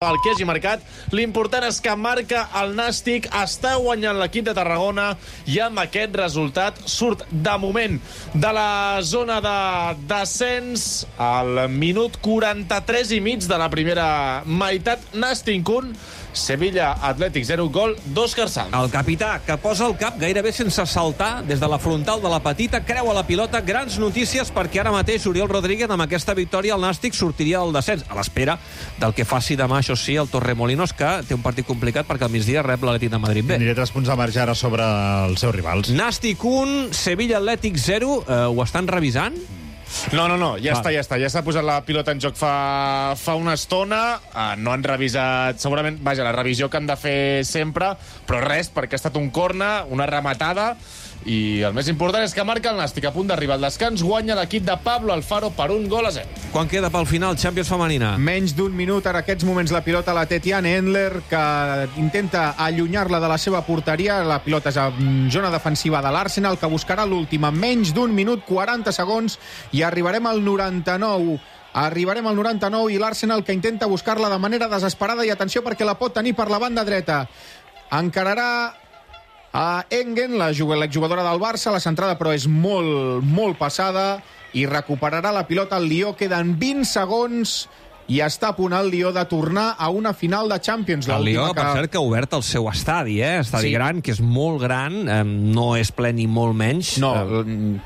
El que hagi marcat, l'important és que marca el Nàstic, està guanyant l'equip de Tarragona i amb aquest resultat surt de moment de la zona de descens al minut 43 i mig de la primera meitat. Nàstic 1, Sevilla Atlètic 0, gol d'Òscar Sanz. El capità, que posa el cap gairebé sense saltar des de la frontal de la petita, creua la pilota. Grans notícies perquè ara mateix Oriol Rodríguez, amb aquesta victòria, el Nàstic sortiria del descens, a l'espera del que faci demà, això sí, el Torremolinos, que té un partit complicat perquè al migdia rep l'Atlètic de Madrid B. Aniré 3 punts de marge ara sobre els seus rivals. Nàstic 1, Sevilla Atlètic 0. Ho estan revisant? No, ja s'ha posat la pilota en joc fa una estona. No han revisat, segurament, la revisió que han de fer sempre, però res, perquè ha estat un corner, una rematada, i el més important és que marca el Nàstic a punt d'arribar al descans. Guanya l'equip de Pablo Alfaro per 1-0. Quan queda pel final Champions femenina? Menys d'un minut, en aquests moments la pilota la té Tiane Endler, que intenta allunyar-la de la seva porteria. La pilota és a zona defensiva de l'Arsenal, que buscarà l'última. Menys d'un minut, 40 segons, i arribarem al 99. Arribarem al 99 i l'Arsenal que intenta buscar-la de manera desesperada, i atenció perquè la pot tenir per la banda dreta. Encararà a Engen, l'exjugadora del Barça. La centrada però és molt passada i recuperarà la pilota el Lió. Queden 20 segons i està a punt el Lió de tornar a una final de Champions. El Lió, per cert, que ha obert el seu estadi, estadi gran, que és molt gran, no és ple ni molt menys. No,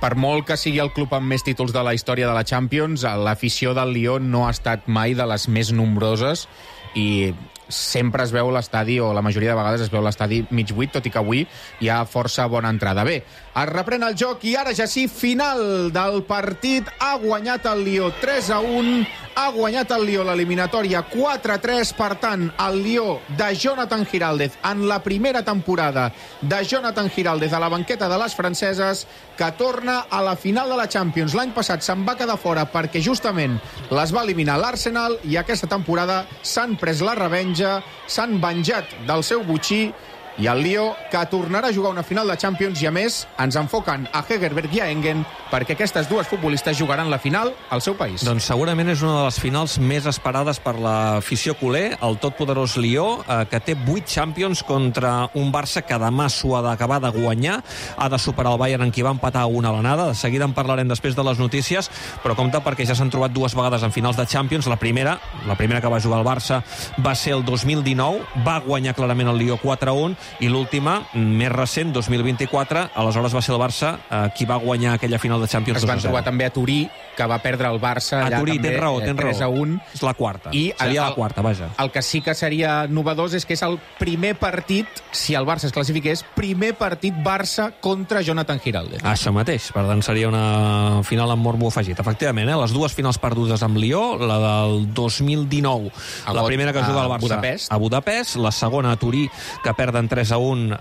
per molt que sigui el club amb més títols de la història de la Champions, l'afició del Lió no ha estat mai de les més nombroses i sempre es veu l'estadi, o la majoria de vegades es veu l'estadi mig buit, tot i que avui hi ha força bona entrada. Bé, es reprèn el joc i ara ja sí, final del partit. Ha guanyat el Lió 3-1, ha guanyat el Lió l'eliminatòria 4-3. Per tant, el Lió de Jonathan Giraldez, en la primera temporada de Jonathan Giraldez a la banqueta de les franceses, que torna a la final de la Champions. L'any passat se'n va quedar fora perquè justament les va eliminar l'Arsenal, i aquesta temporada s'han pres la revenja, s'han venjat del seu botxí, i el Lió que tornarà a jugar una final de Champions. I a més ens enfoquen a Hegerberg i a Engen perquè aquestes dues futbolistes jugaran la final al seu país. Doncs segurament és una de les finals més esperades per l'afició culer, el totpoderós Lió, que té 8 Champions contra un Barça que demà s'ho ha d'acabar de guanyar. Ha de superar el Bayern, en qui va empatar 1 a l'anada. De seguida en parlarem després de les notícies, però compte perquè ja s'han trobat 2 vegades en finals de Champions. La primera que va jugar el Barça va ser el 2019, va guanyar clarament el Lió 4-1, i l'última, més recent, 2024, aleshores va ser el Barça qui va guanyar aquella final de Champions 2-0. Es van trobar també a Turí, que va perdre el Barça allà Turí, també, tens raó. 3-1. És la quarta. Seria la quarta, vaja. El que sí que seria novedós és que és el primer partit, si el Barça es classifiqués, primer partit Barça contra Jonathan Giraldez. Això mateix, per tant seria una final amb morbo afegit. Efectivament, les dues finals perdudes amb Lió, la del 2019, la primera que juga el Barça a Budapest, la segona a Turí, que perden 3-1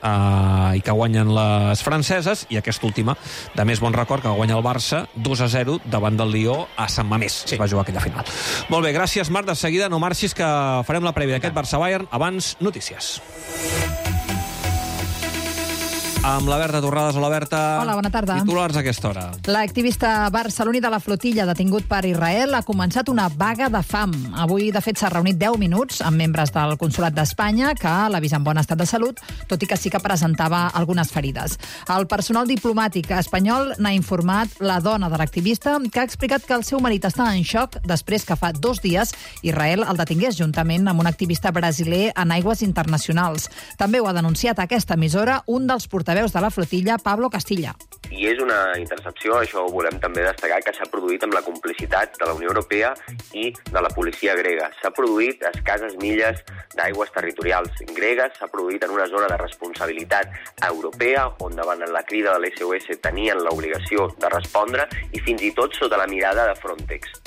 i que guanyen les franceses, i aquesta última, de més bon record, que guanya el Barça 2-0 davant del Lió a Sant Mamés. Sí. Es va jugar aquella final. Molt bé, gràcies, Marc. De seguida no marxis, que farem la prèvia d'aquest Barça-Bayern. Abans, notícies. Amb la Berta Torrades. Hola, Berta. Hola, bona tarda. Titulars a aquesta hora. L'activista barceloní de la flotilla detingut per Israel ha començat una vaga de fam. Avui, de fet, s'ha reunit 10 minuts amb membres del Consolat d'Espanya, que l'ha vist en bon estat de salut, tot i que sí que presentava algunes ferides. El personal diplomàtic espanyol n'ha informat la dona de l'activista, que ha explicat que el seu marit està en xoc després que fa 2 dies Israel el detingués juntament amb un activista brasiler en aigües internacionals. També ho ha denunciat a aquesta emissora un dels portaveus de la flotilla, Pablo Castilla. I és una intercepció, això ho volem també destacar, que s'ha produït amb la complicitat de la Unió Europea i de la policia grega. S'ha produït a escasses milles d'aigües territorials gregues, s'ha produït en una zona de responsabilitat europea, on davant la crida de l'SOS tenien l'obligació de respondre, i fins i tot sota la mirada de Frontex.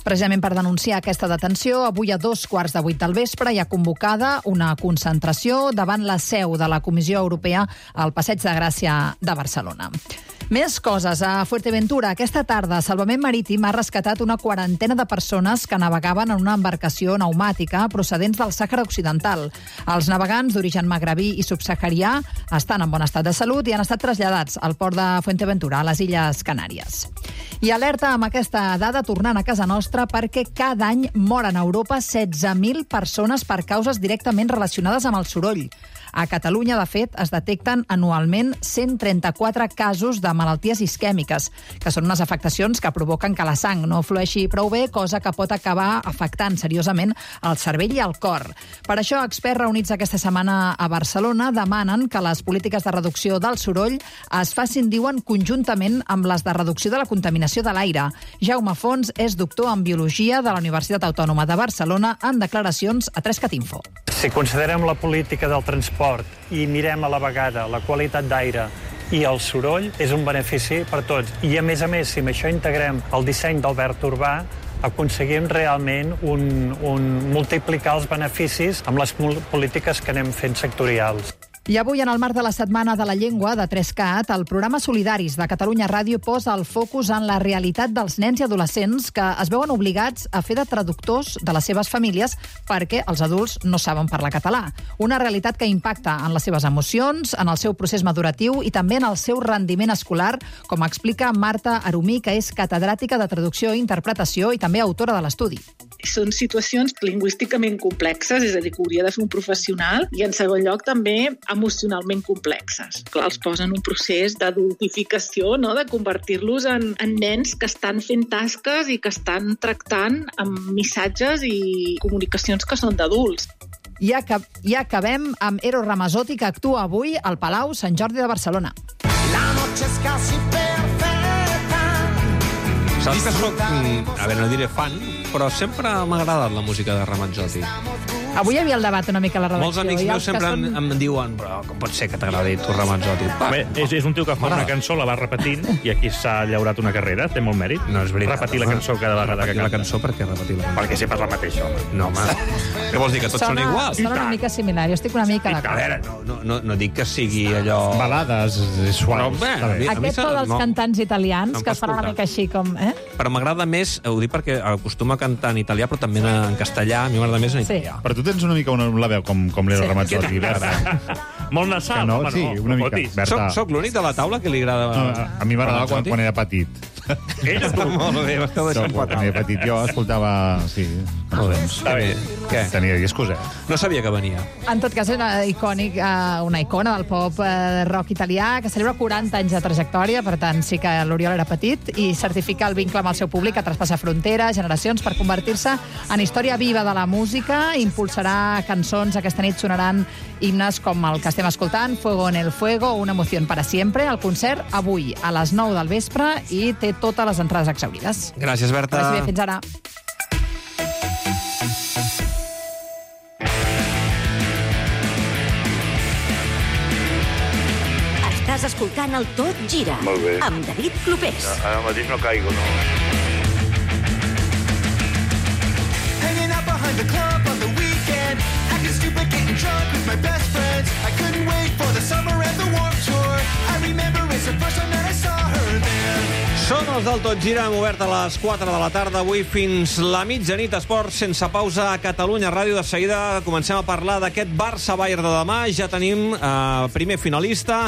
Precisament per denunciar aquesta detenció, avui a 2:15 del vespre hi ha convocada una concentració davant la seu de la Comissió Europea al Passeig de Gràcia de Barcelona. Més coses. A Fuerteventura, aquesta tarda, Salvament Marítim ha rescatat una quarantena de persones que navegaven en una embarcació pneumàtica procedents del Sàhara Occidental. Els navegants d'origen magrebí i subsaharià estan en bon estat de salut i han estat traslladats al port de Fuerteventura, a les Illes Canàries. I alerta amb aquesta dada tornant a casa nostra perquè cada any moren a Europa 16.000 persones per causes directament relacionades amb el soroll. A Catalunya, de fet, es detecten anualment 134 casos de malalties isquèmiques, que són unes afectacions que provoquen que la sang no flueixi prou bé, cosa que pot acabar afectant seriosament el cervell i el cor. Per això, experts reunits aquesta setmana a Barcelona demanen que les polítiques de reducció del soroll es facin, diuen, conjuntament amb les de reducció de la contaminació de l'aire. Jaume Fons és doctor en Biologia de la Universitat Autònoma de Barcelona en declaracions a 3catinfo. Si considerem la política del transport i mirem a la vegada la qualitat d'aire i el soroll, és un benefici per tots. I, a més, si amb això integrem el disseny d'Albert Urbà, aconseguim realment multiplicar els beneficis amb les polítiques que anem fent sectorials. I avui, en el marc de la Setmana de la Llengua de 3CAT, el programa Solidaris de Catalunya Ràdio posa el focus en la realitat dels nens i adolescents que es veuen obligats a fer de traductors de les seves famílies perquè els adults no saben parlar català. Una realitat que impacta en les seves emocions, en el seu procés maduratiu i també en el seu rendiment escolar, com explica Marta Arumí, que és catedràtica de traducció i interpretació i també autora de l'estudi. Són situacions lingüísticament complexes, és a dir, que hauria de fer un professional, i en segon lloc també emocionalment complexes. Clar, els posen un procés d'adultificació, no?, de convertir-los en nens que estan fent tasques i que estan tractant amb missatges i comunicacions que són d'adults. I acabem amb Eros Ramazzotti, que actua avui al Palau Sant Jordi de Barcelona. La noche es casi perfecta. Saps que soc, no diré fan, però sempre m'ha agradat la música de Ramazzotti. Avui hi havia el debat una mica a la redacció. Molts amics meus sempre em diuen, però com pot ser que t'agradi tu Ramazzotti? Bé, és un tio que fa una cançó, la va repetint, i aquí s'ha llaurat una carrera, té molt mèrit. No és veritat. Repetir la cançó cada vegada que canta. La cançó, per què repetir la cançó? Perquè sempre és la mateixa, home. No, home. Què vols dir, que tots són iguals? Sona una mica similar, jo estic una mica d'acord. A veure, no dic que sigui allò... Balades suaus. Aquest to dels cantants italians, que es fan una mica així com... Però m'agrada més, ho dic perquè acostumo a cantar en italià, però també en castellà, a mi m'agrada més en italià. Però tu tens una mica la veu com l'Eros Ramazzotti, Berta. Molt nasal, no, sí, una mica. Berta. Soc l'únic de la taula que li agrada... A mi m'agradava quan era petit. Ella tu. Molt bé, m'esteu deixant quan era petit jo escoltava... Sí, està bé. Què? Tenia discos, No sabia que venia. En tot cas, és una icona del pop rock italià que celebra 40 anys de trajectòria, per tant, sí que l'Oriol era petit i certifica el vincle amb el seu públic que traspassa fronteres, generacions, per convertir-se en història viva de la música. Impulsarà cançons. Aquesta nit sonaran himnes com el que estem escoltant, Fuego en el Fuego, Una emoción para siempre. El concert avui a les 9 del vespre i té totes les entrades exhaurides. Gràcies, Berta. Gràcies, fins ara. Estàs escoltant el Tot Gira. Molt bé. Amb David Clopés. Ara mateix no caigo, no. Hanging out behind the club on the weekend, acting stupid, getting drunk with my best friends. I couldn't wait for the summer and the Warped Tour. I remember it's the first time that I saw her there. Són els del Tot Gira, hem obert a les 4 de la tarda, avui fins la mitjanit, esport sense pausa a Catalunya Ràdio. De seguida comencem a parlar d'aquest Barça-Bayern de demà. Ja tenim primer finalista,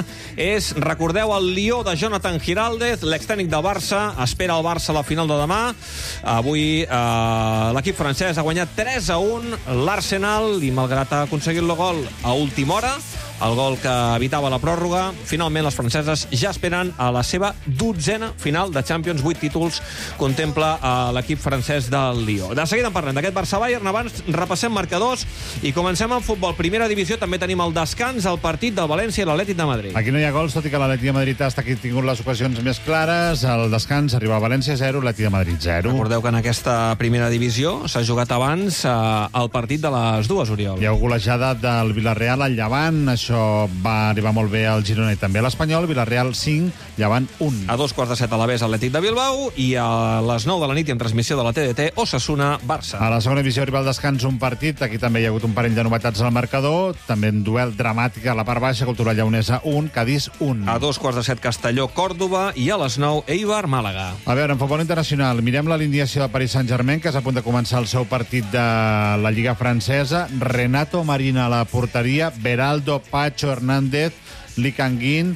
recordeu, el Lió de Jonathan Giraldez, l'extècnic del Barça, espera el Barça a la final de demà. Avui l'equip francès ha guanyat 3-1 l'Arsenal i malgrat ha aconseguit el gol a última hora, el gol que evitava la pròrroga, finalment les franceses ja esperen a la seva 12a final de Champions. 8 títols contempla l'equip francès del Lió. De seguida en parlem d'aquest Barça-Bayern. Abans repassem marcadors i comencem amb futbol. Primera divisió, també tenim el descans, el partit del València i l'Atlètic de Madrid. Aquí no hi ha gols, tot i que l'Atlètic de Madrid ha tingut les ocasions més clares. El descans arriba a València 0, l'Atlètic de Madrid 0. Recordeu que en aquesta primera divisió s'ha jugat abans el partit de les dues, Oriol. Hi ha golejada del Villarreal al Llevant, això això va arribar molt bé al Girona i també a l'Espanyol. Villarreal 5, Llevant 1. A 2:15 a l'Alavés, Atlètic de Bilbao, i a les 9 de la nit i en transmissió de la TDT, Osasuna-Barça. A la segona divisió arriba al descans un partit. Aquí també hi ha hagut un parell de novetats al marcador. També en duel dramàtic a la part baixa, Cultural Lleonesa 1, Cadís 1. A 2:15 Castelló-Còrdova i a les 9 Eibar-Màlaga. A veure, en futbol internacional, mirem l'alineació del Paris Saint-Germain, que és a punt de començar el seu partit de la Lliga Francesa. Renato Marina a la porteria, Beraldo, Pacho, Hernández, Licanguin,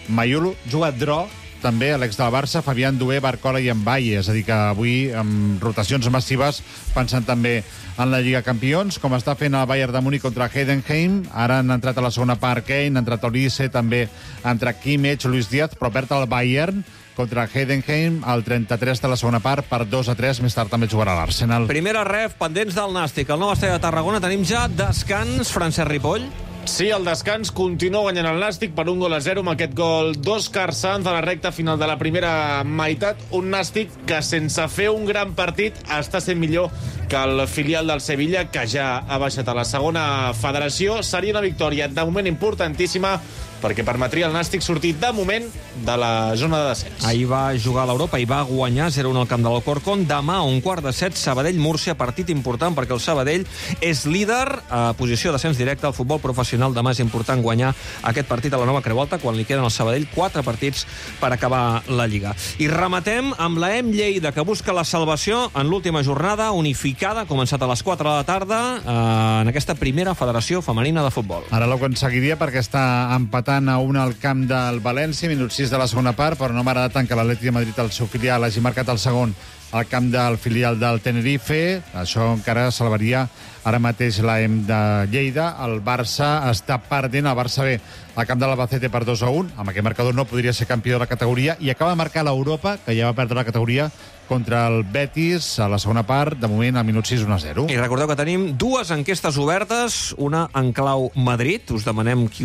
Mayulu, jugat Dro, també l'ex del Barça, Fabián Dué, Barcola i Mbaye. És a dir, que avui, amb rotacions massives, pensant també en la Lliga Campions, com està fent el Bayern de Múnich contra Heidenheim. Ara han entrat a la segona part Kane, ha entrat Olise, també ha entrat Kimmich, Luis Díaz, però perd el Bayern contra Heidenheim al 33 de la segona part per 2-3. Més tard també jugarà l'Arsenal. Primera ref, pendents del Nàstic. El nou estadi de Tarragona tenim ja descans, Francesc Ripoll. Sí, el descans continua guanyant el Nàstic per 1-0 amb aquest gol d'Òscar Sanz a la recta final de la primera meitat. Un Nàstic que, sense fer un gran partit, està sent millor que el filial del Sevilla, que ja ha baixat a la segona federació. Seria una victòria de moment importantíssima perquè permetria al Nàstic sortir de moment de la zona de descens. Ahir va jugar a l'Europa i va guanyar 0-1 al camp de l'Alcorcón. Demà, a 1:15, Sabadell-Múrcia, partit important perquè el Sabadell és líder a posició d'ascens directe al futbol professional. Demà és important guanyar aquest partit a la nova Creu Alta, quan li queden al Sabadell 4 partits per acabar la Lliga. I rematem amb la EM Lleida, que busca la salvació en l'última jornada unificada, començat a les 4 de la tarda, en aquesta primera federació femenina de futbol. Ara l'ho aconseguiria perquè està empatant a 1 al camp del València, minut 6 de la segona part, però no m'agrada tant que l'Atlètic de Madrid, el seu filial, hagi marcat el segon al camp del filial del Tenerife. Això encara salvaria ara mateix l'EM de Lleida. El Barça està perdent, el Barça ve al camp de l'Albacete per 2-1. Amb aquest marcador no podria ser campió de la categoria, i acaba de marcar l'Europa, que ja va perdre la categoria contra el Betis a la segona part, de moment al minut 6, 1-0. I recordeu que tenim dues enquestes obertes, una en clau Madrid, us demanem qui...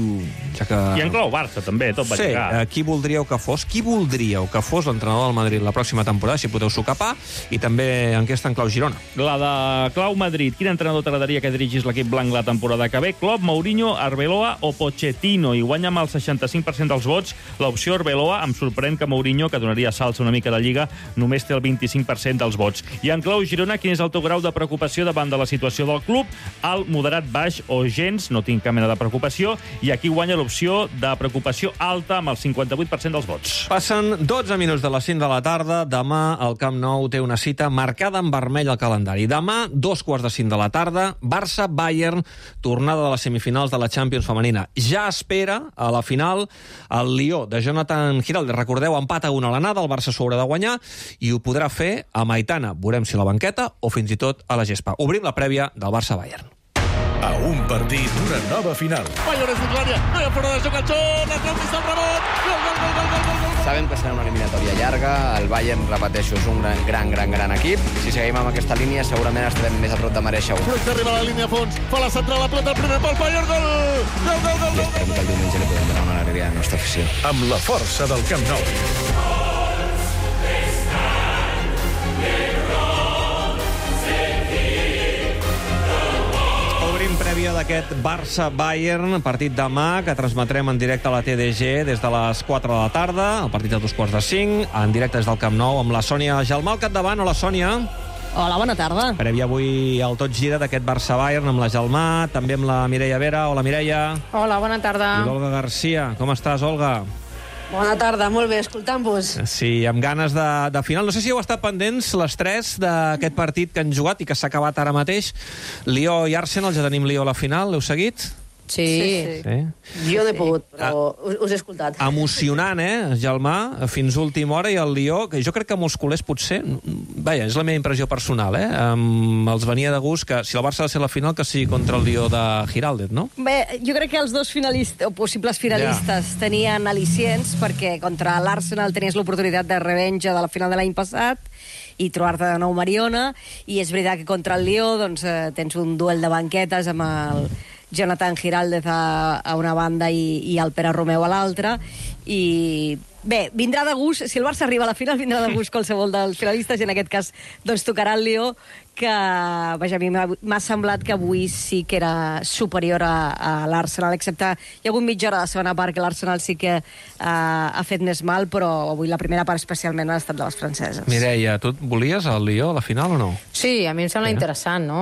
Ja que... I en clau Barça, també, tot va lligar. Sí, qui voldríeu que fos? Qui voldríeu que fos l'entrenador del Madrid la pròxima temporada, si podeu socapar? I també enquesta en clau Girona. La de clau Madrid. Quin entrenador t'agradaria que dirigís l'equip blanc la temporada que ve? Klopp, Mourinho, Arbeloa o Pochettino? I guanya amb el 65% dels vots l'opció Arbeloa. Em sorprèn que Mourinho, que donaria salts una mica de Lliga, només té el 25% dels vots. I en clau Girona, quin és el teu grau de preocupació davant de la situació del club? Alt, moderat, baix o gens? No tinc cap mena de preocupació. I aquí guanya l'opció de preocupació alta amb el 58% dels vots. Passen 12 minuts de les 5 de la tarda. Demà el Camp Nou té una cita marcada en vermell al calendari. Demà, 2:45 de la tarda, Barça-Bayern, tornada de les semifinals de la Champions femenina. Ja espera a la final el Lió de Jonathan Giraldes. Recordeu, empat a 1 a l'anada, el Barça s'ho haurà de guanyar i ho podrà fer a Maitana. Veurem si a la banqueta o fins i tot a la gespa. Obrim la prèvia del Barça-Bayern. A un partit d'una nova final. Bayern és dins l'àrea, no hi ha fora de joc el xot, la trau pista el rebot, gol. Sabem que serà una eliminatòria llarga, el Bayern, repeteixo, és un gran equip. Si seguim amb aquesta línia, segurament estarem més a prop de mereixer-ho. Fruit arriba a la línia a fons, fa la central, la planta, el primer pal, Bayern, gol! I esperem que el diumenge li podem donar una alegria a la nostra afició. Amb la força del Camp Nou. Prèvia d'aquest Barça-Bayern, partit demà, que transmetrem en directe a la TDG des de les 4 de la tarda, el partit de 2:45, en directe des del Camp Nou, amb la Sònia Gelmà al capdavant. Hola, Sònia. Hola, bona tarda. Prèvia avui al Tot Gira d'aquest Barça-Bayern amb la Gelmà, també amb la Mireia Vera. Hola, Mireia. Hola, bona tarda. I l'Olga Garcia. Com estàs, Olga? Bona tarda, molt bé, escoltant-vos. Sí, amb ganes de final. No sé si heu estat pendents les tres d'aquest partit que han jugat i que s'ha acabat ara mateix. Lió i Arsenal, ja tenim Lió a la final. L'heu seguit? Sí. Jo no he pogut, però us he escoltat. Emocionant, Gelmà? Fins última hora, i el Lió, que jo crec que molts culers potser... Vaja, és la meva impressió personal, els venia de gust que si el Barça ha de ser la final, que sigui contra el Lió de Giraldez, no? Bé, jo crec que els dos finalistes, o possibles finalistes, tenien al·licients, perquè contra l'Arsenal tenies l'oportunitat de revenja de la final de l'any passat i trobar-te de nou Mariona, i és veritat que contra el Lió doncs, tens un duel de banquetes amb el Jonathan Giraldez a una banda i el Pere Romeu a l'altra, i bé, vindrà de gust, si el Barça arriba a la final, vindrà de gust qualsevol dels finalistes, i en aquest cas doncs tocarà el Lió, que... Vaja, a mi m'ha semblat que avui sí que era superior a l'Arsenal, excepte hi ha hagut mitja hora de segona part que l'Arsenal sí que ha fet més mal, però avui la primera part especialment ha estat de les franceses. Mireia, tu volies el Lió a la final o no? Sí, a mi em sembla interessant, no?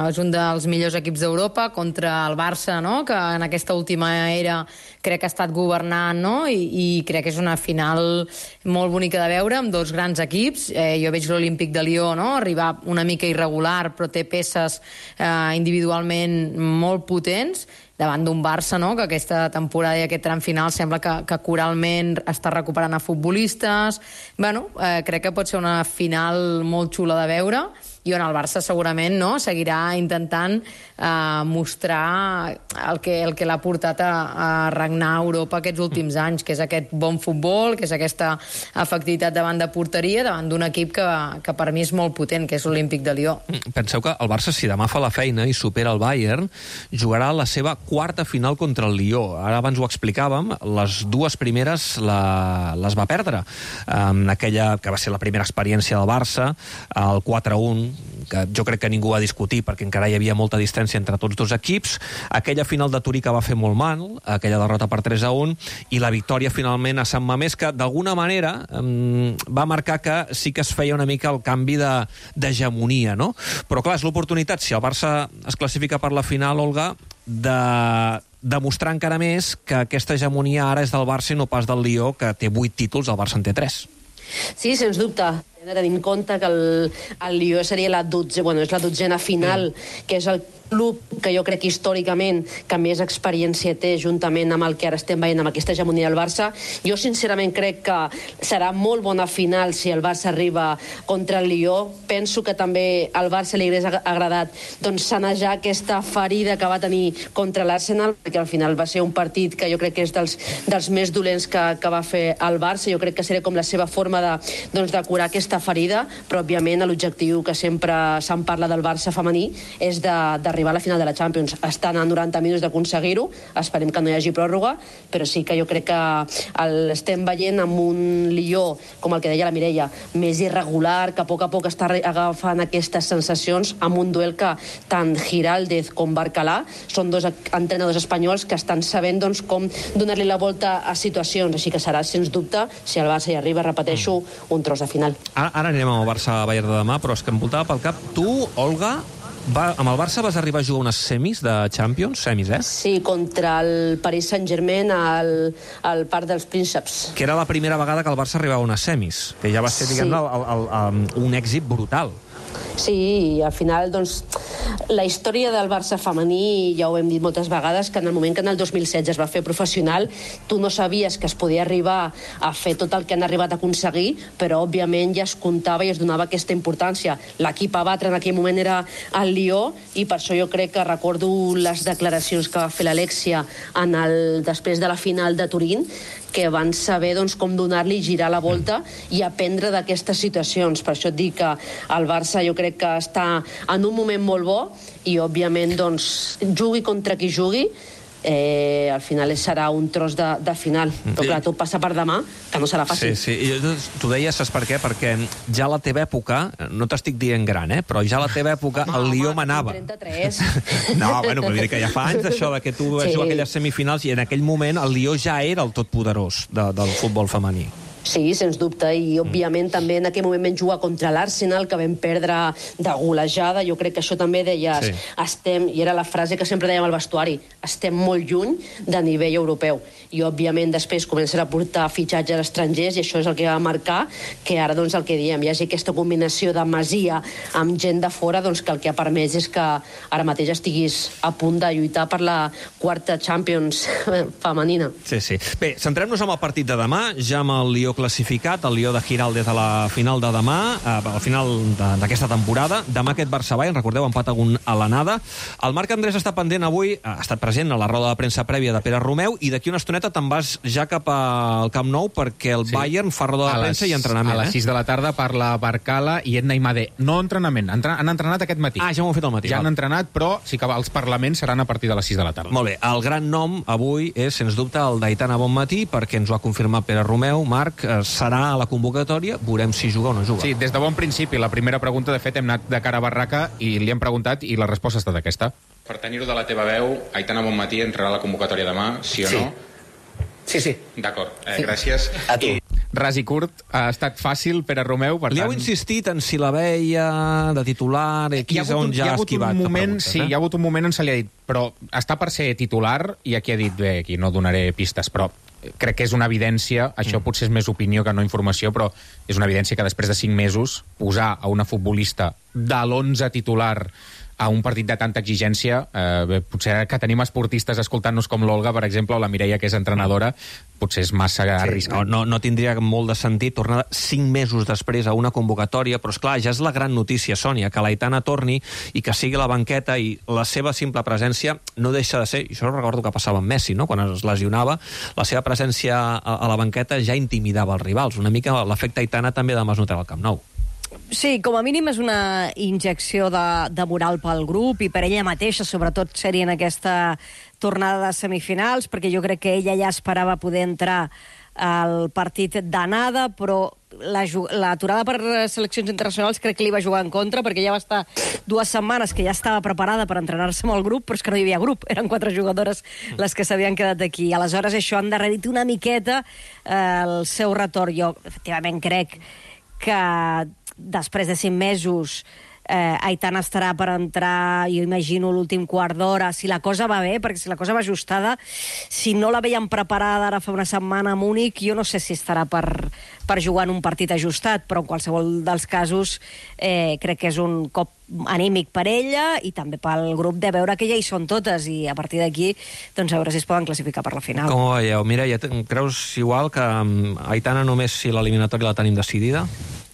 És un dels millors equips d'Europa contra el Barça, no? Que en aquesta última era crec que ha estat governant, no? I crec que és una final molt bonica de veure, amb dos grans equips. Jo veig l'Olímpic de Lió, no? Arribar una mica irregular, però té peces individualment molt potents, davant d'un Barça, no?, que aquesta temporada i aquest tram final sembla que coralment està recuperant a futbolistes. Bueno, crec que pot ser una final molt xula de veure, i on el Barça segurament, no?, seguirà intentant mostrar el que l'ha portat a regnar a Europa aquests últims anys, que és aquest bon futbol, que és aquesta efectivitat davant de porteria, davant d'un equip que per mi és molt potent, que és l'Olímpic de Lió. Penseu que el Barça, si demà fa la feina i supera el Bayern, jugarà la seva quarta final contra el Lió. Ara abans ho explicàvem, les dues primeres les va perdre. Aquella que va ser la primera experiència del Barça, el 4-1, que jo crec que ningú va discutir perquè encara hi havia molta distància entre tots dos equips, aquella final de Turí que va fer molt mal, aquella derrota per 3-1, i la victòria finalment a Sant Mamés, que d'alguna manera va marcar que sí que es feia una mica el canvi d'hegemonia, no? Però clar, és l'oportunitat, si el Barça es classifica per la final, Olga, de demostrar encara més que aquesta hegemonia ara és del Barça i no pas del Lió, que té 8 títols, el Barça en té 3. Sí, sens dubte. Hem de tenir en compte que el Lió seria la dotzena final, que és el club que jo crec històricament que més experiència té juntament amb el que ara estem veient amb aquesta hegemonia del Barça. Jo sincerament crec que serà molt bona final si el Barça arriba contra el Lió. Penso que també al Barça li hagués agradat sanejar aquesta ferida que va tenir contra l'Arsenal, perquè al final va ser un partit que jo crec que és dels més dolents que va fer el Barça. Jo crec que seria com la seva forma de curar aquesta ferida, però òbviament l'objectiu que sempre se'n parla del Barça femení és d'arribar a la final de la Champions. Estan a 90 minuts d'aconseguir-ho, esperem que no hi hagi pròrroga, però sí que jo crec que l'estem veient amb un Lió, com el que deia la Mireia, més irregular, que a poc està agafant aquestes sensacions, amb un duel que tant Giraldez com Barcalà són dos entrenadors espanyols que estan sabent com donar-li la volta a situacions, així que serà, sens dubte, si el Barça hi arriba, repeteixo, un tros de final. Ara anirem amb el Barça-Bayern de demà, però és que em voltava pel cap. Tu, Olga, amb el Barça vas arribar a jugar unes semis de Champions? Semis, eh? Sí, contra el Paris Saint-Germain al Parc dels Prínceps. Que era la primera vegada que el Barça arribava a unes semis, que ja va ser, un èxit brutal. Sí, i al final, la història del Barça femení, ja ho hem dit moltes vegades, que en el moment que en el 2016 es va fer professional, tu no sabies que es podia arribar a fer tot el que han arribat a aconseguir, però òbviament ja es comptava i es donava aquesta importància. L'equip a batre en aquell moment era el Lió, i per això jo crec que recordo les declaracions que va fer l'Alexia després de la final de Turín, que van saber com donar-li i girar la volta i aprendre d'aquestes situacions. Per això et dic que el Barça jo crec que està en un moment molt bo i, òbviament, jugui contra qui jugui, al final serà un tros de final. Però clar, tot passa per demà, que no serà fàcil. Sí. Tu deies, saps per què? Perquè ja a la teva època, no t'estic dient gran, però ja a la teva època el Lió manava. 33. No, bueno, però diré que ja fa anys això que tu vas jugar aquelles semifinals i en aquell moment el Lió ja era el totpoderós del futbol femení. Sí, sens dubte, i òbviament també en aquell moment vam jugar contra l'Arsenal, que vam perdre de golejada. Jo crec que això també deies, i era la frase que sempre dèiem al vestuari, estem molt lluny de nivell europeu. I òbviament després comencen a portar fitxatges estrangers i això és el que va marcar que ara el que diem, hi hagi aquesta combinació de Masia amb gent de fora, que el que ha permès és que ara mateix estiguis a punt de lluitar per la quarta Champions femenina. Sí. Bé, centrem-nos en el partit de demà, ja amb el Lió classificat, el Lió de Giraldez a la final de demà, al final d'aquesta temporada. Demà aquest Barça-Bayern, recordeu, empat a l'anada. El Marc Andrés està pendent avui, ha estat present a la roda de premsa prèvia de Pere Romeu, i d'aquí una estoneta te'n vas ja cap al Camp Nou perquè el Bayern fa roda de premsa i entrenament. A les 6 de la tarda parla Barcala i Edna Imade. No entrenament, han entrenat aquest matí. Ja ho han fet al matí. Ja han entrenat, però sí que els parlaments seran a partir de les 6 de la tarda. Molt bé, el gran nom avui és, sens dubte, el d'Aitana Bonmatí, perquè ens ho ha confirmat Pere Romeu. Marc, serà a la convocatòria, veurem si juga o no juga. Sí, des de bon principi. La primera pregunta, de fet, hem anat de cara a barraca i li hem preguntat i la resposta ha estat aquesta. Per tenir-ho de la teva veu, Aitana Bonmatí entrarà a la convocatòria demà, sí o no? Sí. D'acord, gràcies. A tu. Ras i curt, ha estat fàcil, Pere Romeu, per Li tant... heu insistit en si la veia de titular, aquí és on ja ha esquivat. Sí, hi ha hagut un moment on se li ha dit, però està per ser titular, i aquí ha dit, bé, aquí no donaré pistes, però crec que és una evidència, això potser és més opinió que no informació, però és una evidència que després de 5 mesos posar a una futbolista de l'11 titular a un partit de tanta exigència, potser que tenim esportistes escoltant-nos com l'Olga, per exemple, o la Mireia, que és entrenadora, potser és massa arriscat. No tindria molt de sentit tornar 5 mesos després a una convocatòria, però esclar, ja és la gran notícia, Sònia, que l'Aitana torni i que sigui a la banqueta, i la seva simple presència no deixa de ser, i això recordo que passava amb Messi, no? Quan es lesionava, la seva presència a la banqueta ja intimidava els rivals. Una mica l'efecte Aitana també demà es notarà al Camp Nou. Sí, com a mínim és una injecció de moral pel grup i per ella mateixa, sobretot ser-hi en aquesta tornada de semifinals, perquè jo crec que ella ja esperava poder entrar al partit d'anada, però l'aturada per seleccions internacionals crec que li va jugar en contra, perquè ja va estar 2 setmanes que ja estava preparada per entrenar-se amb el grup, però és que no hi havia grup, eren 4 jugadores les que s'havien quedat aquí. Aleshores això han endarrerit una miqueta el seu retorn. Jo efectivament crec que després de 5 mesos Aitana estarà per entrar, jo imagino, l'últim quart d'hora, si la cosa va bé, perquè si la cosa va ajustada, si no la veiem preparada ara fa una setmana a Múnich, jo no sé si estarà per jugar en un partit ajustat, però en qualsevol dels casos crec que és un cop anímic per ella i també pel grup de veure que ja hi són totes i a partir d'aquí doncs a veure si es poden classificar per la final. Com ho veieu? Mireia, creus igual que Aitana només si l'eliminatòria la tenim decidida?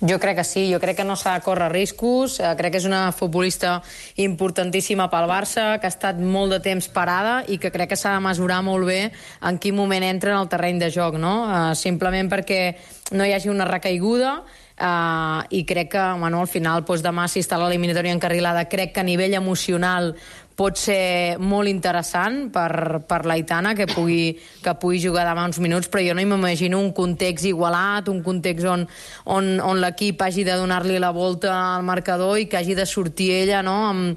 Jo crec que sí, jo crec que no s'ha de córrer riscos, crec que és una futbolista importantíssima pel Barça, que ha estat molt de temps parada i que crec que s'ha de mesurar molt bé en quin moment entra en el terreny de joc, no? Simplement perquè no hi hagi una recaiguda, i crec que al final demà, si està l'eliminatòria encarrilada, crec que a nivell emocional pot ser molt interessant per l'Aitana que pugui jugar demà uns minuts, però jo no m'imagino un context igualat, un context on l'equip hagi de donar-li la volta al marcador i que hagi de sortir ella, no,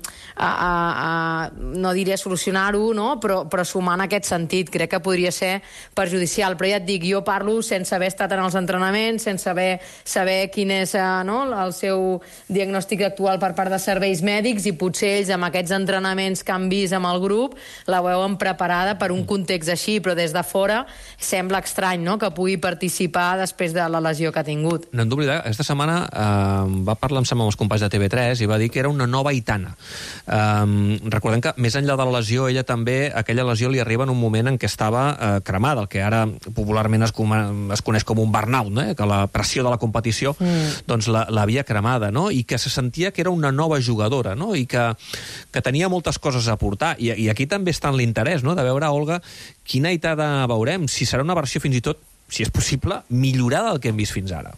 no diria solucionar-ho, no, però sumar en aquest sentit. Crec que podria ser perjudicial, però ja et dic, jo parlo sense haver estat en els entrenaments, sense saber quin és el seu diagnòstic actual per part de serveis mèdics, i potser ells amb aquests entrenaments que han vist amb el grup la veuen preparada per un context així, però des de fora sembla estrany, no?, que pugui participar després de la lesió que ha tingut. No hem d'oblidar, aquesta setmana va parlar amb els companys de TV3 i va dir que era una nova Aitana. Recordem que més enllà de la lesió, ella també, aquella lesió li arriba en un moment en què estava cremada, el que ara popularment es coneix com un burnout, no? Que la pressió de la competició doncs l'havia cremada, no? I que se sentia que era una nova jugadora, no? I que tenia moltes coses a aportar, i aquí també està en l'interès, no?, de veure, Olga, quina Aitana veurem, si serà una versió fins i tot, si és possible, millorada del que hem vist fins ara.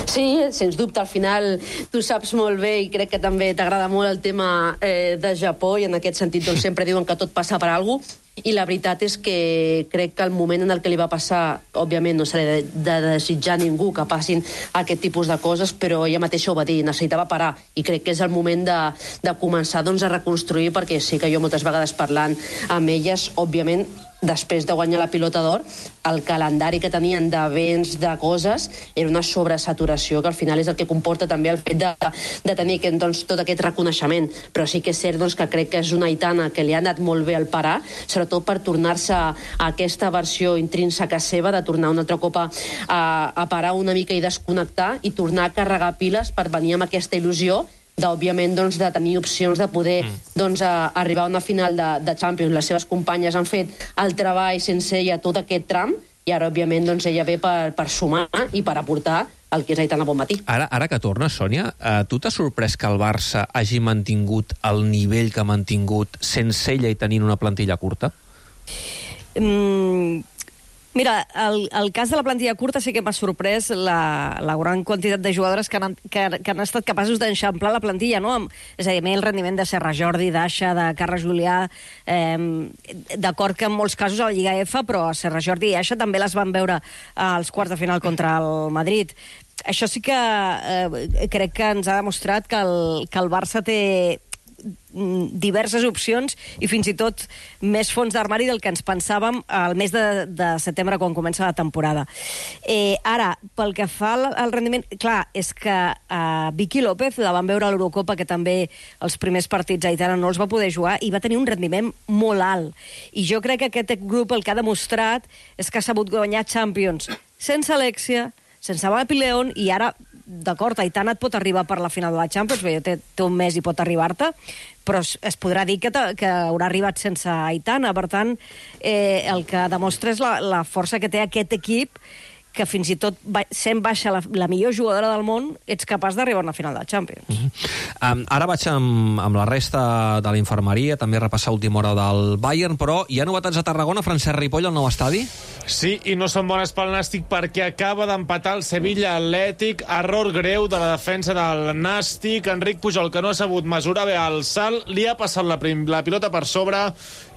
Sí, sens dubte, al final tu saps molt bé i crec que també t'agrada molt el tema de Japó, i en aquest sentit doncs, sempre diuen que tot passa per alguna cosa, i la veritat és que crec que el moment en el que li va passar, òbviament no s'ha de desitjar a ningú que passin aquest tipus de coses, però ella mateixa ho va dir, necessitava parar, i crec que és el moment de començar doncs, a reconstruir, perquè sí que jo moltes vegades parlant amb elles, òbviament després de guanyar la Pilota d'Or, el calendari que tenien d'events, de coses, era una sobresaturació, que al final és el que comporta també el fet de tenir doncs, tot aquest reconeixement. Però sí que és cert doncs, que crec que és una Aitana que li ha anat molt bé al parar, sobretot per tornar-se a aquesta versió intrínseca seva, de tornar un altre cop a parar una mica i desconnectar, i tornar a carregar piles per venir amb aquesta il·lusió d'òbviament doncs, de tenir opcions de poder doncs, arribar a una final de Champions. Les seves companyes han fet el treball sense ella tot aquest tram, i ara òbviament doncs, ella ve per sumar i per aportar el que és Aitana Bonmatí. Ara que tornes, Sònia, tu t'ha sorprès que el Barça hagi mantingut el nivell que ha mantingut sense ella i tenint una plantilla curta? Mira, el cas de la plantilla curta sí que m'ha sorprès la gran quantitat de jugadores que han estat capaços d'enxamplar la plantilla, no? És a dir, el rendiment de Serra Jordi, d'Aixa, de Carles Julià, d'acord que en molts casos a la Lliga F, però Serra Jordi i Aixa també les van veure als quarts de final contra el Madrid. Això sí que crec que ens ha demostrat que el Barça té diverses opcions i fins i tot més fons d'armari del que ens pensàvem al mes de setembre quan comença la temporada. Ara, pel que fa al rendiment, clar, és que Vicky López la van veure a l'Eurocopa, que també els primers partits a Aitana no els va poder jugar, i va tenir un rendiment molt alt. I jo crec que aquest grup el que ha demostrat és que ha sabut guanyar Champions sense Alexia, sense Mapi León, i ara, d'acord, Aitana et pot arribar per la final de la Champions, perquè té un mes i pot arribar-te, però es podrà dir que haurà arribat sense Aitana. Per tant, el que demostra és la força que té aquest equip, que fins i tot sent baixa la millor jugadora del món, ets capaç d'arribar a una final de Champions. Ara vaig amb la resta de la infermeria, també repassar última hora del Bayern, però hi ha novetats a Tarragona, Francesc Ripoll, al nou estadi? Sí, i no són bones pel Nàstic perquè acaba d'empatar el Sevilla Atlètic. Error greu de la defensa del Nàstic. Enric Pujol, que no ha sabut mesurar bé el salt, li ha passat la pilota per sobre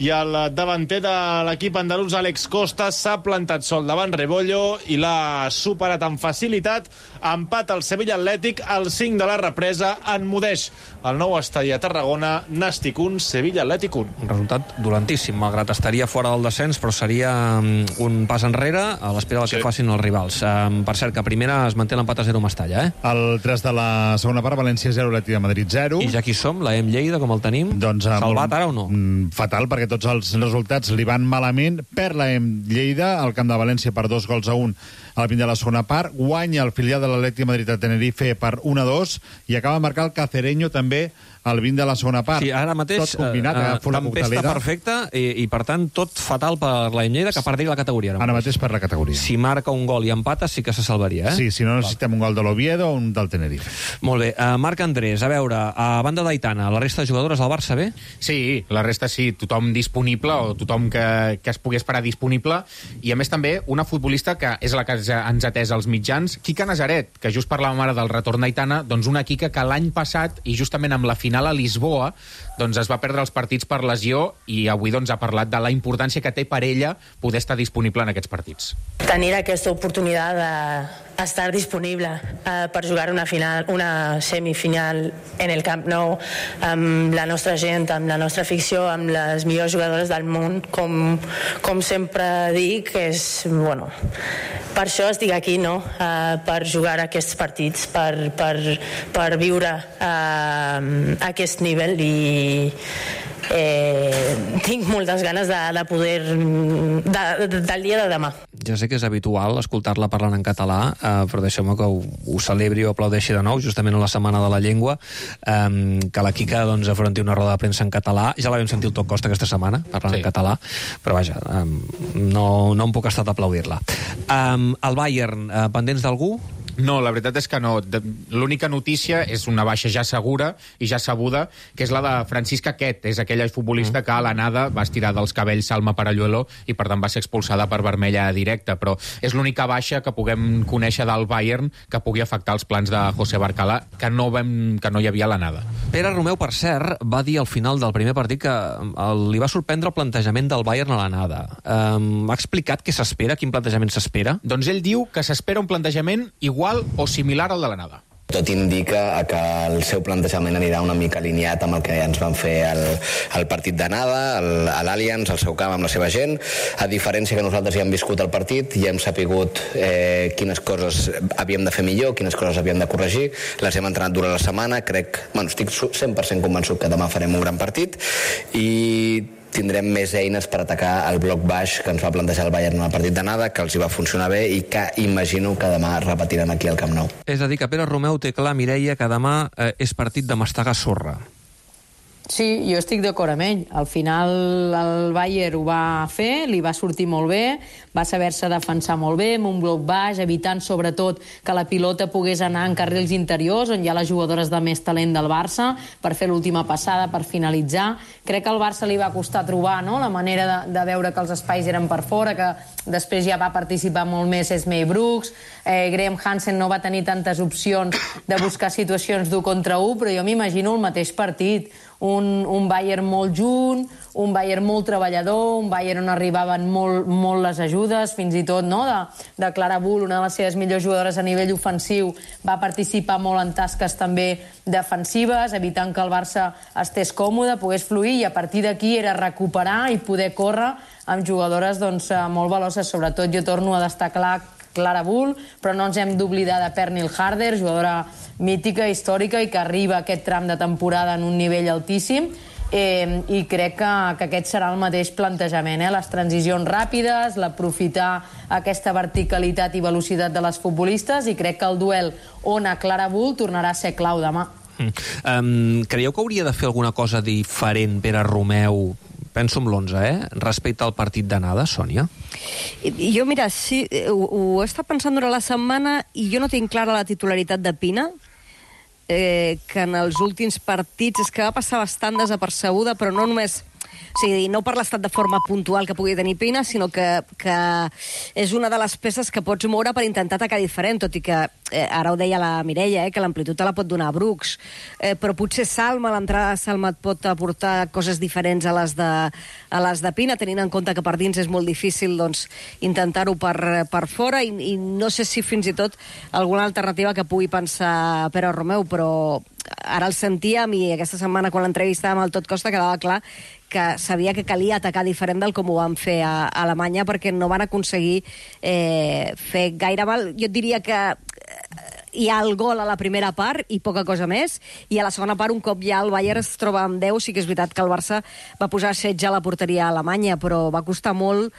i el davanter de l'equip andalús, Àlex Costa, s'ha plantat sol davant Rebollo i l'ha superat amb facilitat. Empat el Sevilla Atlètic, al 5 de la represa, enmudeix el nou estadi a Tarragona. Nàstic 1, Sevilla Atlètic 1. Un resultat dolentíssim, malgrat estaria fora del descens, però seria un pas enrere a l'espera del que facin els rivals. Per cert, que a primera es manté l'empat a 0 a Mestalla, El 3 de la segona part, València 0, Atlètic de Madrid 0. I ja aquí som, la Lleida, com el tenim? Doncs, salvat ara o no? Fatal, perquè tots els resultats li van malament. Perd la Lleida al camp de València per 2-1 al fin de la segona part. Guanya el filial de l'Atlètic de Madrid a Tenerife per 1-2 i acaba de marcar el Cacereño també al 20 de la segona part. Sí, ara mateix, tot combinat, tempesta perfecta i, per tant, tot fatal per la Lleida, que perdria la categoria. Ara mateix per la categoria. Si marca un gol i empata, sí que se salvaria, Sí, si no necessitem un gol de l'Oviedo o un del Tenerife. Molt bé. Marc Andrés, a veure, a banda d'Aitana, la resta de jugadores del Barça bé? Sí, la resta sí, tothom disponible, o tothom que es pugui esperar disponible, i a més també una futbolista que és la que ens ha atès als mitjans, Quica Nazaret, que just parlàvem ara del retorn d'Aitana, doncs una Quica que l'any passat, i justament amb la final a Lisboa, doncs es va perdre els partits per lesió, i avui doncs ha parlat de la importància que té per ella poder estar disponible en aquests partits. Tenir aquesta oportunitat d'estar disponible per jugar una semifinal en el Camp Nou amb la nostra gent, amb la nostra afició, amb les millors jugadores del món, com sempre dic, per això estic aquí, no? Per jugar aquests partits, per viure aquest nivell, i tinc moltes ganes de poder del dia de demà. Ja sé que és habitual escoltar-la parlant en català, però deixeu-me que ho celebri o aplaudeixi de nou, justament a la Setmana de la Llengua, que la Quica afronti una roda de premsa en català. Ja la vam sentir el Toc Costa aquesta setmana, parlant en català, però vaja, no em puc estar d'aplaudir-la. El Bayern, pendents d'algú? No, la veritat és que no. L'única notícia és una baixa ja segura i ja sabuda, que és la de Francisca Quet. És aquella futbolista que a l'anada va estirar dels cabells Salma Paralluelo i per tant va ser expulsada per vermella directa, però és l'única baixa que puguem conèixer del Bayern que pugui afectar els plans de José Barcala, que no hi havia a l'anada. Pere Romeu, per cert, va dir al final del primer partit que li va sorprendre el plantejament del Bayern a l'anada. Ha explicat què s'espera, quin plantejament s'espera? Doncs ell diu que s'espera un plantejament igual o similar al de l'anada. Tot indica que el seu plantejament anirà una mica alineat amb el que ens van fer el partit d'anada, a l'Allianz, al seu camp, amb la seva gent. A diferència que nosaltres ja hem viscut el partit, ja hem sapigut quines coses havíem de fer millor, quines coses havíem de corregir. Les hem entrenat durant la setmana. Estic 100% convençut que demà farem un gran partit i tindrem més eines per atacar el bloc baix que ens va plantejar el Bayern en el partit d'anada, que els hi va funcionar bé i que imagino que demà repetiran aquí al Camp Nou. És a dir, que Pere Romeu té clar, Mireia, que demà és partit de mastegar sorra. Sí, jo estic d'acord amb ell. Al final el Bayern ho va fer, li va sortir molt bé, va saber-se defensar molt bé, amb un bloc baix, evitant sobretot que la pilota pogués anar en carrils interiors, on hi ha les jugadores de més talent del Barça, per fer l'última passada, per finalitzar. Crec que al Barça li va costar trobar, no?, la manera de veure que els espais eren per fora, que després ja va participar molt més Esmei Brooks, Graham Hansen no va tenir tantes opcions de buscar situacions d'1 contra 1, però jo m'imagino el mateix partit. Un Bayern molt junt, un Bayern molt treballador, un Bayern on arribaven molt les ajudes, fins i tot de Clara Bull, una de les seves millors jugadores a nivell ofensiu, va participar molt en tasques també defensives, evitant que el Barça estés còmode, pogués fluir, i a partir d'aquí era recuperar i poder córrer amb jugadores molt veloses. Sobretot jo torno a destacar Clara Bull, però no ens hem d'oblidar de Pernil Harder, jugadora mítica, històrica, i que arriba a aquest tram de temporada en un nivell altíssim, i crec que aquest serà el mateix plantejament, les transicions ràpides, l'aprofitar aquesta verticalitat i velocitat de les futbolistes, i crec que el duel Ona Clara Bull tornarà a ser clau demà. Creieu que hauria de fer alguna cosa diferent Pere Romeu, penso en l'11, respecte al partit d'anada, Sònia? Jo, mira, sí, ho he estat pensant durant la setmana i jo no tinc clara la titularitat de Pina, que en els últims partits és que va passar bastant desapercebuda, però no només... O sigui, no per l'estat de forma puntual que pugui tenir Pina, sinó que és una de les peces que pots moure per intentar atacar diferent, tot i que, ara ho deia la Mireia, que l'amplitud te la pot donar Brooks, però potser Salma, l'entrada de Salma et pot aportar coses diferents a les de Pina, tenint en compte que per dins és molt difícil intentar-ho per fora, i no sé si fins i tot alguna alternativa que pugui pensar Pere Romeu, però ara el sentíem, i aquesta setmana quan l'entrevistàvem al Tot Costa quedava clar que sabia que calia atacar diferent del com ho van fer a Alemanya, perquè no van aconseguir fer gaire mal. Jo et diria que hi ha el gol a la primera part i poca cosa més, i a la segona part, un cop ja el Bayern es troba amb 10, sí que és veritat que el Barça va posar setge a la porteria alemanya, però va costar molt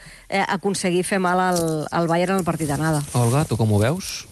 aconseguir fer mal al Bayern en el partit d'anada. Olga, tu com ho veus?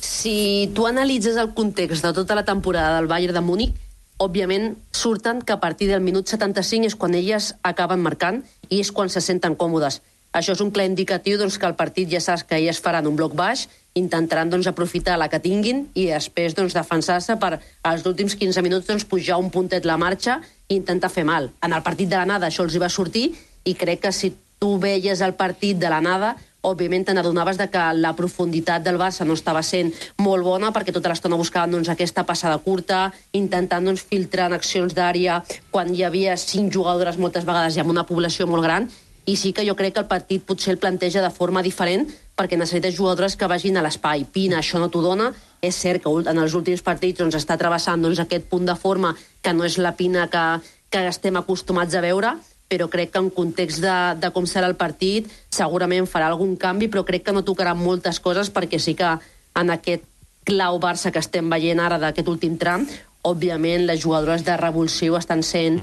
Si tu analitzes el context de tota la temporada del Bayern de Múnich, òbviament surten que a partir del minut 75 és quan elles acaben marcant i és quan se senten còmodes. Això és un clar indicatiu que el partit ja saps que elles faran un bloc baix, intentaran aprofitar la que tinguin i després defensar-se per als últims 15 minuts pujar un puntet la marxa i intentar fer mal. En el partit de l'anada això els hi va sortir, i crec que si tu veies el partit de l'anada, òbviament te n'adonaves que la profunditat del Barça no estava sent molt bona, perquè tota l'estona buscaven aquesta passada curta, intentant filtrar en accions d'àrea quan hi havia 5 jugadores moltes vegades i amb una població molt gran, i sí que jo crec que el partit potser el planteja de forma diferent, perquè necessites jugadores que vagin a l'espai. Pina això no t'ho dona. És cert que en els últims partits està travessant aquest punt de forma que no és la Pina que estem acostumats a veure, però crec que en context de com serà el partit segurament farà algun canvi, però crec que no tocarà moltes coses, perquè sí que en aquest clau Barça que estem veient ara d'aquest últim tram, òbviament les jugadores de revulsiu estan sent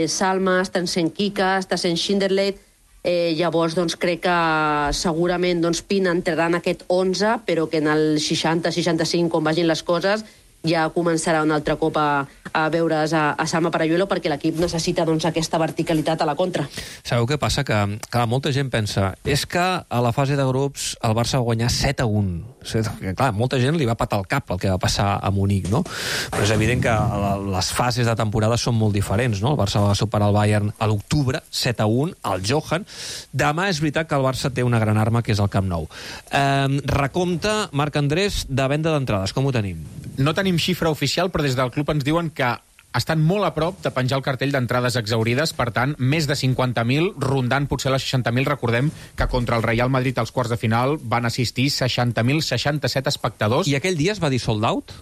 Salma, estan sent Kika, està sent Schinderleit, llavors crec que segurament Pina entrarà en aquest 11, però que en el 60-65, com vagin les coses, ja començarà un altre cop a veure's a Salma Paralluelo, perquè l'equip necessita aquesta verticalitat a la contra. Sabeu què passa? Que clar, molta gent pensa és que a la fase de grups el Barça va guanyar 7-1. Clar, molta gent li va patar el cap el que va passar a Munic, no? Però és evident que les fases de temporada són molt diferents, no? El Barça va superar el Bayern a l'octubre, 7-1, al Johan. Demà és veritat que el Barça té una gran arma, que és el Camp Nou. Recompte, Marc Andrés, de venda d'entrades, com ho tenim? No tenim xifra oficial, però des del club ens diuen que estan molt a prop de penjar el cartell d'entrades exaurides, per tant, més de 50.000, rondant potser les 60.000. Recordem que contra el Real Madrid als quarts de final van assistir 60.067 espectadors. I aquell dia es va dir sold out?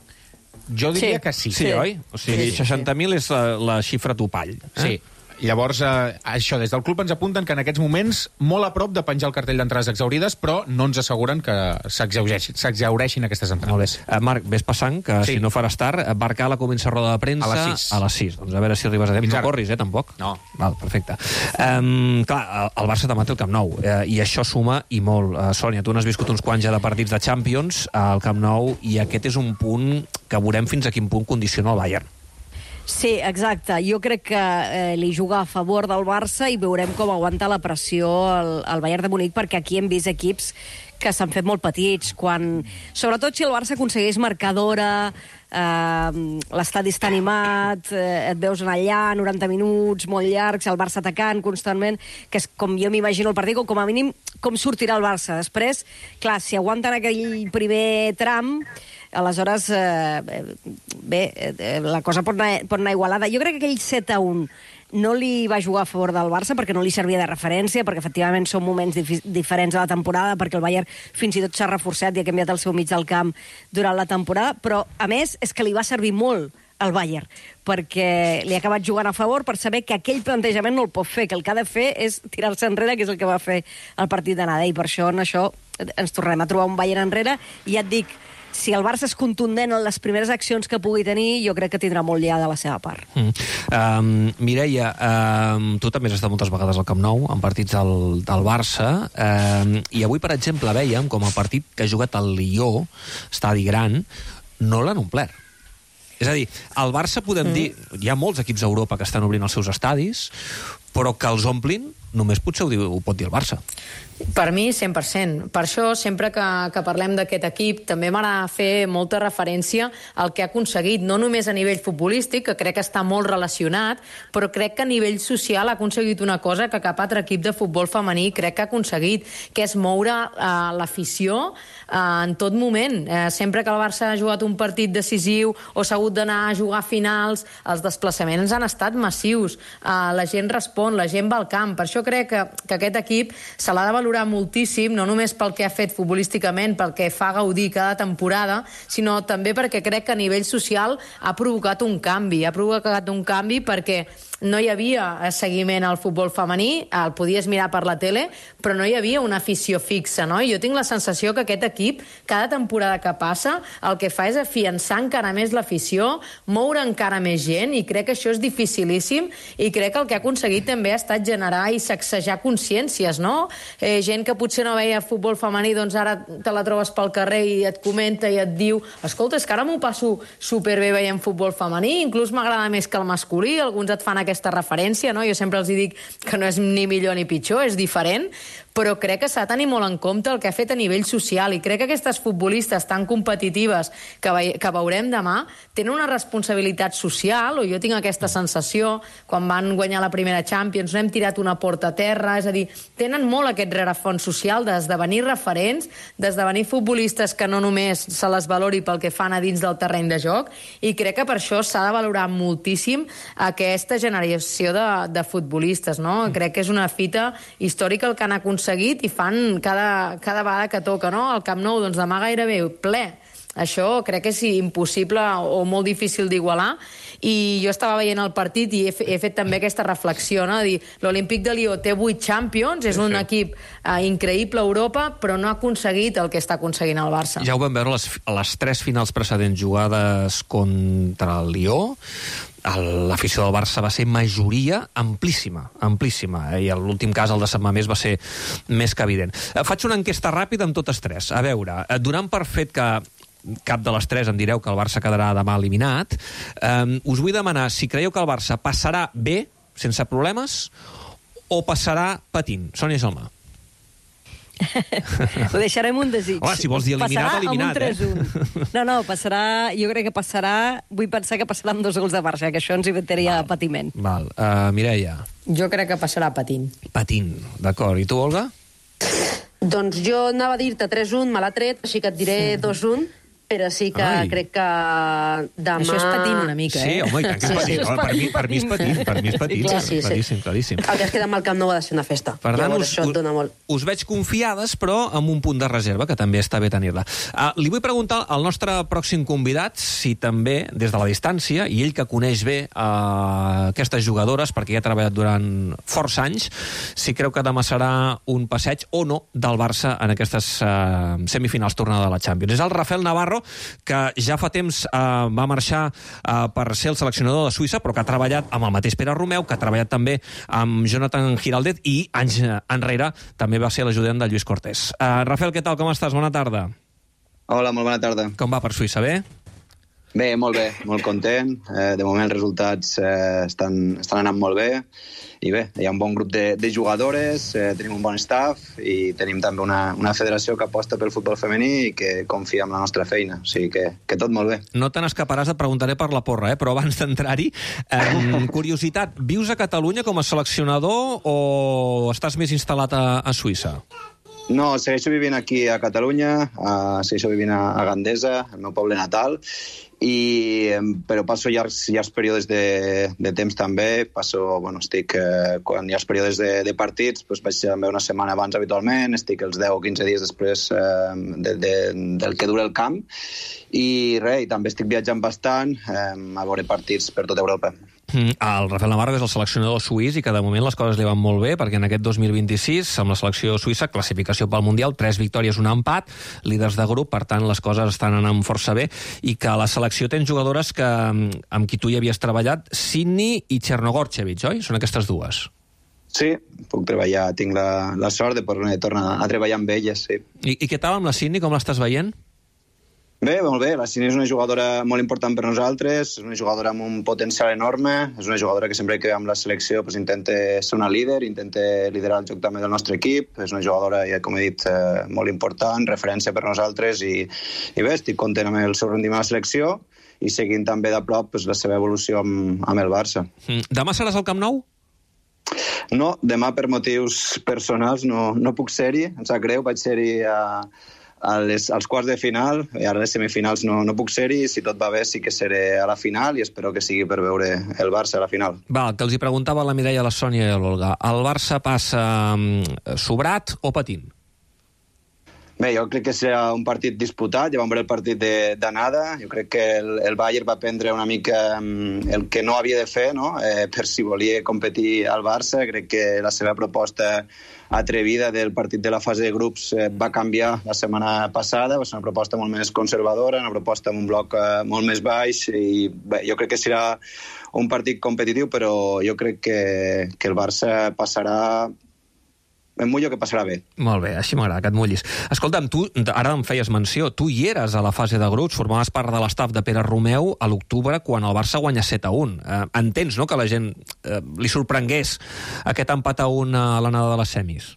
Jo diria que sí. Sí, oi? O sigui, 60.000 és la xifra topall. Sí. Llavors, això, des del club ens apunten que en aquests moments molt a prop de penjar el cartell d'entrades exaurides, però no ens asseguren que s'exaureixin aquestes entrades. Molt bé. Marc, ves passant, que si no faràs tard, Barcala comença roda de premsa a les 6. Doncs a veure si arribes a temps. No corris, tampoc? No. Val, perfecte. Clar, el Barça demà té el Camp Nou, i això suma i molt. Sònia, tu n'has viscut uns quants ja de partits de Champions al Camp Nou, i aquest és un punt que veurem fins a quin punt condiciona el Bayern. Sí, exacte. Jo crec que li juga a favor del Barça i veurem com aguanta la pressió el Bayern de Munic, perquè aquí hem vist equips que s'han fet molt petits, sobretot si el Barça aconsegueix marcar d'hora, l'estadi està animat, et veus allà 90 minuts molt llargs, el Barça atacant constantment, que és com jo m'imagino el partit, com a mínim com sortirà el Barça. Després, clar, si aguanten aquell primer tram, aleshores, la cosa pot anar igualada. Jo crec que aquell 7-1 no li va jugar a favor del Barça perquè no li servia de referència, perquè efectivament són moments diferents de la temporada, perquè el Bayern fins i tot s'ha reforçat i ha canviat el seu mig del camp durant la temporada, però a més és que li va servir molt al Bayern, perquè li ha acabat jugant a favor per saber que aquell plantejament no el pot fer, que el que ha de fer és tirar-se enrere, que és el que va fer el partit d'anada, i per això en això ens tornem a trobar un Bayern enrere, i ja et dic, si el Barça és contundent en les primeres accions que pugui tenir, jo crec que tindrà molt ja de la seva part. Mireia, tu també has estat moltes vegades al Camp Nou, en partits del Barça, i avui, per exemple, veiem com el partit que ha jugat el Lió, estadi gran, no l'han omplert. És a dir, el Barça podem dir... Hi ha molts equips a Europa que estan obrint els seus estadis, però que els omplin només potser ho pot dir el Barça. Per mi, 100%. Per això, sempre que parlem d'aquest equip, també m'agrada fer molta referència al que ha aconseguit, no només a nivell futbolístic, que crec que està molt relacionat, però crec que a nivell social ha aconseguit una cosa que cap altre equip de futbol femení crec que ha aconseguit, que és moure l'afició en tot moment. Sempre que el Barça ha jugat un partit decisiu o s'ha hagut d'anar a jugar finals, els desplaçaments han estat massius. La gent respon, la gent va al camp. Per això crec que aquest equip se l'ha de valorar moltíssim, no només pel que ha fet futbolísticament, pel que fa gaudir cada temporada, sinó també perquè crec que a nivell social ha provocat un canvi. Ha provocat un canvi perquè no hi havia seguiment al futbol femení, el podies mirar per la tele, però no hi havia una afició fixa, no? I jo tinc la sensació que aquest equip, cada temporada que passa, el que fa és afiançar encara més l'afició, moure encara més gent, i crec que això és dificilíssim, i crec que el que ha aconseguit també ha estat generar i sacsejar consciències, no? Gent que potser no veia futbol femení, doncs ara te la trobes pel carrer i et comenta i et diu, escolta, és que ara m'ho passo superbé veient futbol femení, inclús m'agrada més que el masculí, alguns et fan aquesta referència, no? Jo sempre els dic que no és ni millor ni pitjor, és diferent, però crec que s'ha de tenir molt en compte el que ha fet a nivell social, i crec que aquestes futbolistes tan competitives que veurem demà tenen una responsabilitat social, o jo tinc aquesta sensació, quan van guanyar la primera Champions, no hem tirat una porta a terra, és a dir, tenen molt aquest rerefons social d'esdevenir referents, d'esdevenir futbolistes que no només se les valori pel que fan a dins del terreny de joc, i crec que per això s'ha de valorar moltíssim aquesta generació de futbolistes, no? Crec que és una fita històrica el que han aconseguit i fan cada vegada que toca, no? El Camp Nou, doncs demà gairebé ple. Això crec que és impossible o molt difícil d'igualar, i jo estava veient el partit i he fet també aquesta reflexió, no? Dir, l'Olímpic de Lió té 8 Champions, és un equip increïble a Europa, però no ha aconseguit el que està aconseguint el Barça. Ja ho vam veure a les 3 finals precedents jugades contra el Lió. L'afició del Barça va ser majoria amplíssima, i en l'últim cas, el de Sant Mamés, va ser més que evident. Faig una enquesta ràpida amb totes 3. A veure, donant per fet que cap de les 3 em direu que el Barça quedarà demà eliminat, us vull demanar si creieu que el Barça passarà bé, sense problemes, o passarà patint. Sònia Gelmà. Ho deixarem un desig. Home, si vols dir eliminat, eliminat, No, passarà, jo crec que passarà, vull pensar que passarà amb 2 gols de Barça, que això ens inventaria patiment. Val. Mireia. Jo crec que passarà patint. Patint, d'acord. I tu, Olga? Doncs jo anava a dir-te 3-1, me l'ha tret, així que et diré 2-1, però sí que crec que demà... Això és patint una mica, Sí, home, i tant que és patint. Per mi és patint. Claríssim. El que es queda amb el Camp Nou ha de ser una festa. Per tant, això et dona molt. Us veig confiades, però amb un punt de reserva, que també està bé tenir-la. Li vull preguntar al nostre pròxim convidat si també, des de la distància, i ell que coneix bé aquestes jugadores, perquè ja ha treballat durant força anys, si creu que demà serà un passeig o no del Barça en aquestes semifinals tornada de la Champions. És el Rafael Navarro, que ja fa temps va marxar per ser el seleccionador de Suïssa, però que ha treballat amb el mateix Pere Romeu, que ha treballat també amb Jonathan Giraldez, i anys enrere també va ser l'ajudant de Lluís Cortés. Rafael, què tal? Com estàs? Bona tarda. Hola, molt bona tarda. Com va per Suïssa? Bé? Bé, molt content. De moment els resultats estan anant molt bé. I bé, hi ha un bon grup de jugadores, tenim un bon staff i tenim també una federació que aposta pel futbol femení i que confia en la nostra feina. O sigui que tot molt bé. No te n'escaparàs, et preguntaré per la porra, però abans d'entrar-hi, curiositat, vius a Catalunya com a seleccionador o estàs més instal·lat a Suïssa? No, segueixo vivint aquí a Catalunya, segueixo vivint a Gandesa, el meu poble natal, però passo llargs períodes de temps també. Estic, quan hi ha els períodes de partits, vaig també una setmana abans habitualment, estic els 10 o 15 dies després del que dura el camp, i també estic viatjant bastant a veure partits per tota Europa. El Rafael Navarro és el seleccionador suís i que de moment les coses li van molt bé perquè en aquest 2026, amb la selecció suïssa, classificació pel Mundial, 3 victòries, un empat, líders de grup, per tant les coses estan anant força bé i que la selecció té jugadores amb qui tu hi havies treballat, Sydney i Chernogorchevich, oi? Són aquestes dues. Sí, puc treballar, tinc la sort de poder tornar a treballar amb elles, sí. I què tal amb la Sydney, com l'estàs veient? Bé, molt bé. La Sydney és una jugadora molt important per nosaltres, és una jugadora amb un potencial enorme, és una jugadora que sempre que ve amb la selecció intenta ser una líder, intenta liderar el joc també del nostre equip, és una jugadora, ja com he dit, molt important, referència per nosaltres i bé, estic content amb el seu rendiment a la selecció i seguint també de prop la seva evolució amb el Barça. Demà seràs al Camp Nou? No, demà per motius personals no puc ser-hi, em sap greu, vaig ser-hi als quarts de final, i ara a les semifinals no puc ser-hi, i si tot va bé sí que seré a la final i espero que sigui per veure el Barça a la final. Val, que els hi preguntava la Mireia, la Sònia i l'Olga. El Barça passa sobrat o patint? Bé, jo crec que serà un partit disputat, ja vam veure el partit d'anada, jo crec que el Bayern va prendre una mica el que no havia de fer, no? Per si volia competir al Barça, crec que la seva proposta atrevida del partit de la fase de grups va canviar la setmana passada, va ser una proposta molt més conservadora, una proposta amb un bloc molt més baix, i bé, jo crec que serà un partit competitiu, però jo crec que el Barça passarà. Em mullo que passarà bé. Molt bé, així m'agrada, que et mullis. Escolta'm, tu, ara em feies menció, tu hi eres a la fase de grups, formaves part de l'estaf de Pere Romeu a l'octubre quan el Barça guanya 7-1. Entens, no?, que la gent li sorprengués aquest empat a 1 a l'anada de les semis?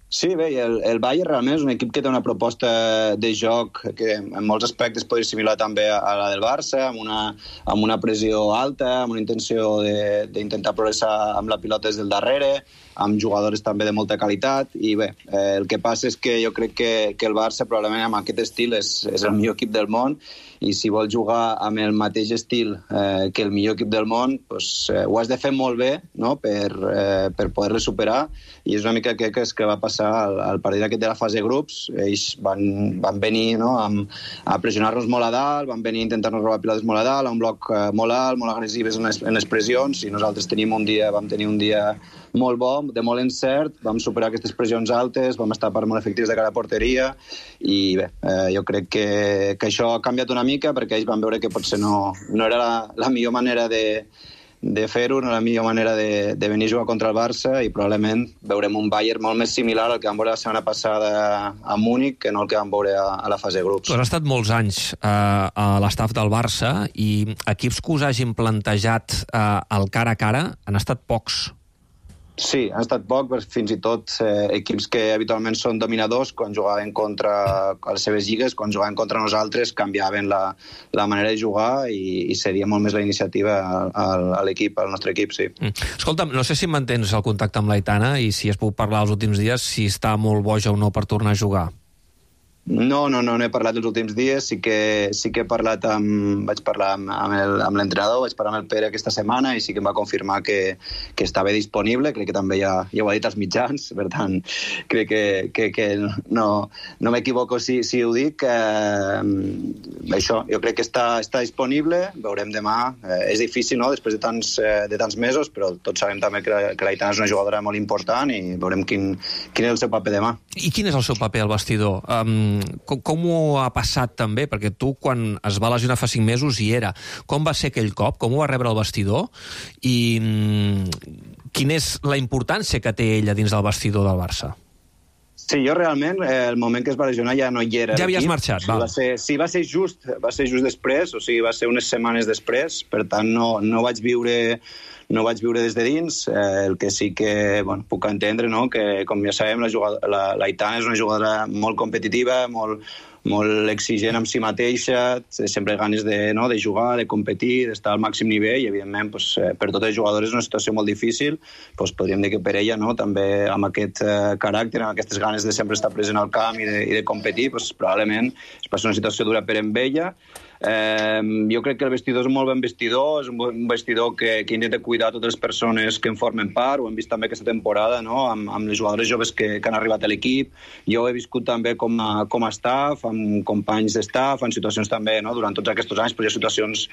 Sí, bé, el Bayern realment és un equip que té una proposta de joc que en molts aspectes podria similar també a la del Barça, amb una pressió alta, amb una intenció d'intentar progressar amb la pilota des del darrere, amb jugadors també de molta qualitat, i bé, el que passa és que jo crec que el Barça probablement amb aquest estil és el millor equip del món, i si vols jugar amb el mateix estil que el millor equip del món, ho has de fer molt bé, no?, per poder-le superar, i és una mica que va passar al partit aquest de la fase de grups. Ells van venir, no?, a pressionar-nos molt a dalt, van venir a intentar-nos robar pilotes molt a dalt, a un bloc molt alt, molt agressives en les pressions, i nosaltres vam tenir un dia molt bo, de molt encert, vam superar aquestes pressions altes, vam estar molt efectius de cara a porteria, i bé, jo crec que això ha canviat una mica perquè ells van veure que potser no era la millor manera de fer-ho, no la millor manera de venir a jugar contra el Barça, i probablement veurem un Bayern molt més similar al que vam veure la setmana passada a Múnich que no el que vam veure a la fase de grups. Tu has estat molts anys a l'estaf del Barça i equips que us hagin plantejat el cara a cara han estat pocs. Sí, han estat poc, fins i tot equips que habitualment són dominadors, quan jugaven contra les seves lligues, quan jugaven contra nosaltres, canviaven la manera de jugar i seria molt més la iniciativa a l'equip, al nostre equip, sí. Escolta'm, no sé si mantens el contacte amb l'Aitana i si has pogut parlar els últims dies, si està molt boja o no per tornar a jugar. No he parlat els últims dies, sí que he parlat vaig parlar amb l'entrenador, vaig parlar amb el Pere aquesta setmana i sí que em va confirmar que estava disponible, crec que també ja ho ha dit als mitjans, per tant, crec que no m'equivoco si ho dic. Això, jo crec que està disponible, veurem demà. És difícil, no?, després de tants mesos, però tots sabem també que l'Aitana és una jugadora molt important i veurem quin és el seu paper demà. I quin és el seu paper al vestidor? Com ho ha passat també? Perquè tu, quan es va lesionar fa 5 mesos, hi era. Com va ser aquell cop? Com ho va rebre el vestidor? I quina és la importància que té ella dins del vestidor del Barça? Sí, jo realment, el moment que es va lesionar ja no hi era. Ja havies marxat, val. Va ser just després, o sigui, va ser unes setmanes després, per tant no vaig viure des de dins, el que sí que puc entendre, no? Que, com ja sabem, l'Aitana és una jugadora molt competitiva, molt exigent amb si mateixa, sempre ganes de jugar, de competir, d'estar al màxim nivell, i evidentment per totes les jugadores és una situació molt difícil, podríem dir que per ella també amb aquest caràcter, amb aquestes ganes de sempre estar present al camp i de competir, probablement es passa una situació dura per amb ella. Jo crec que el vestidor és un molt ben vestidor, és un vestidor que intenta cuidar totes les persones que en formen part, ho hem vist també aquesta temporada, no? amb les jugadores joves que han arribat a l'equip. Jo ho he viscut també com a staff, amb companys d'estaff, en situacions també, no? Durant tots aquests anys, hi ha situacions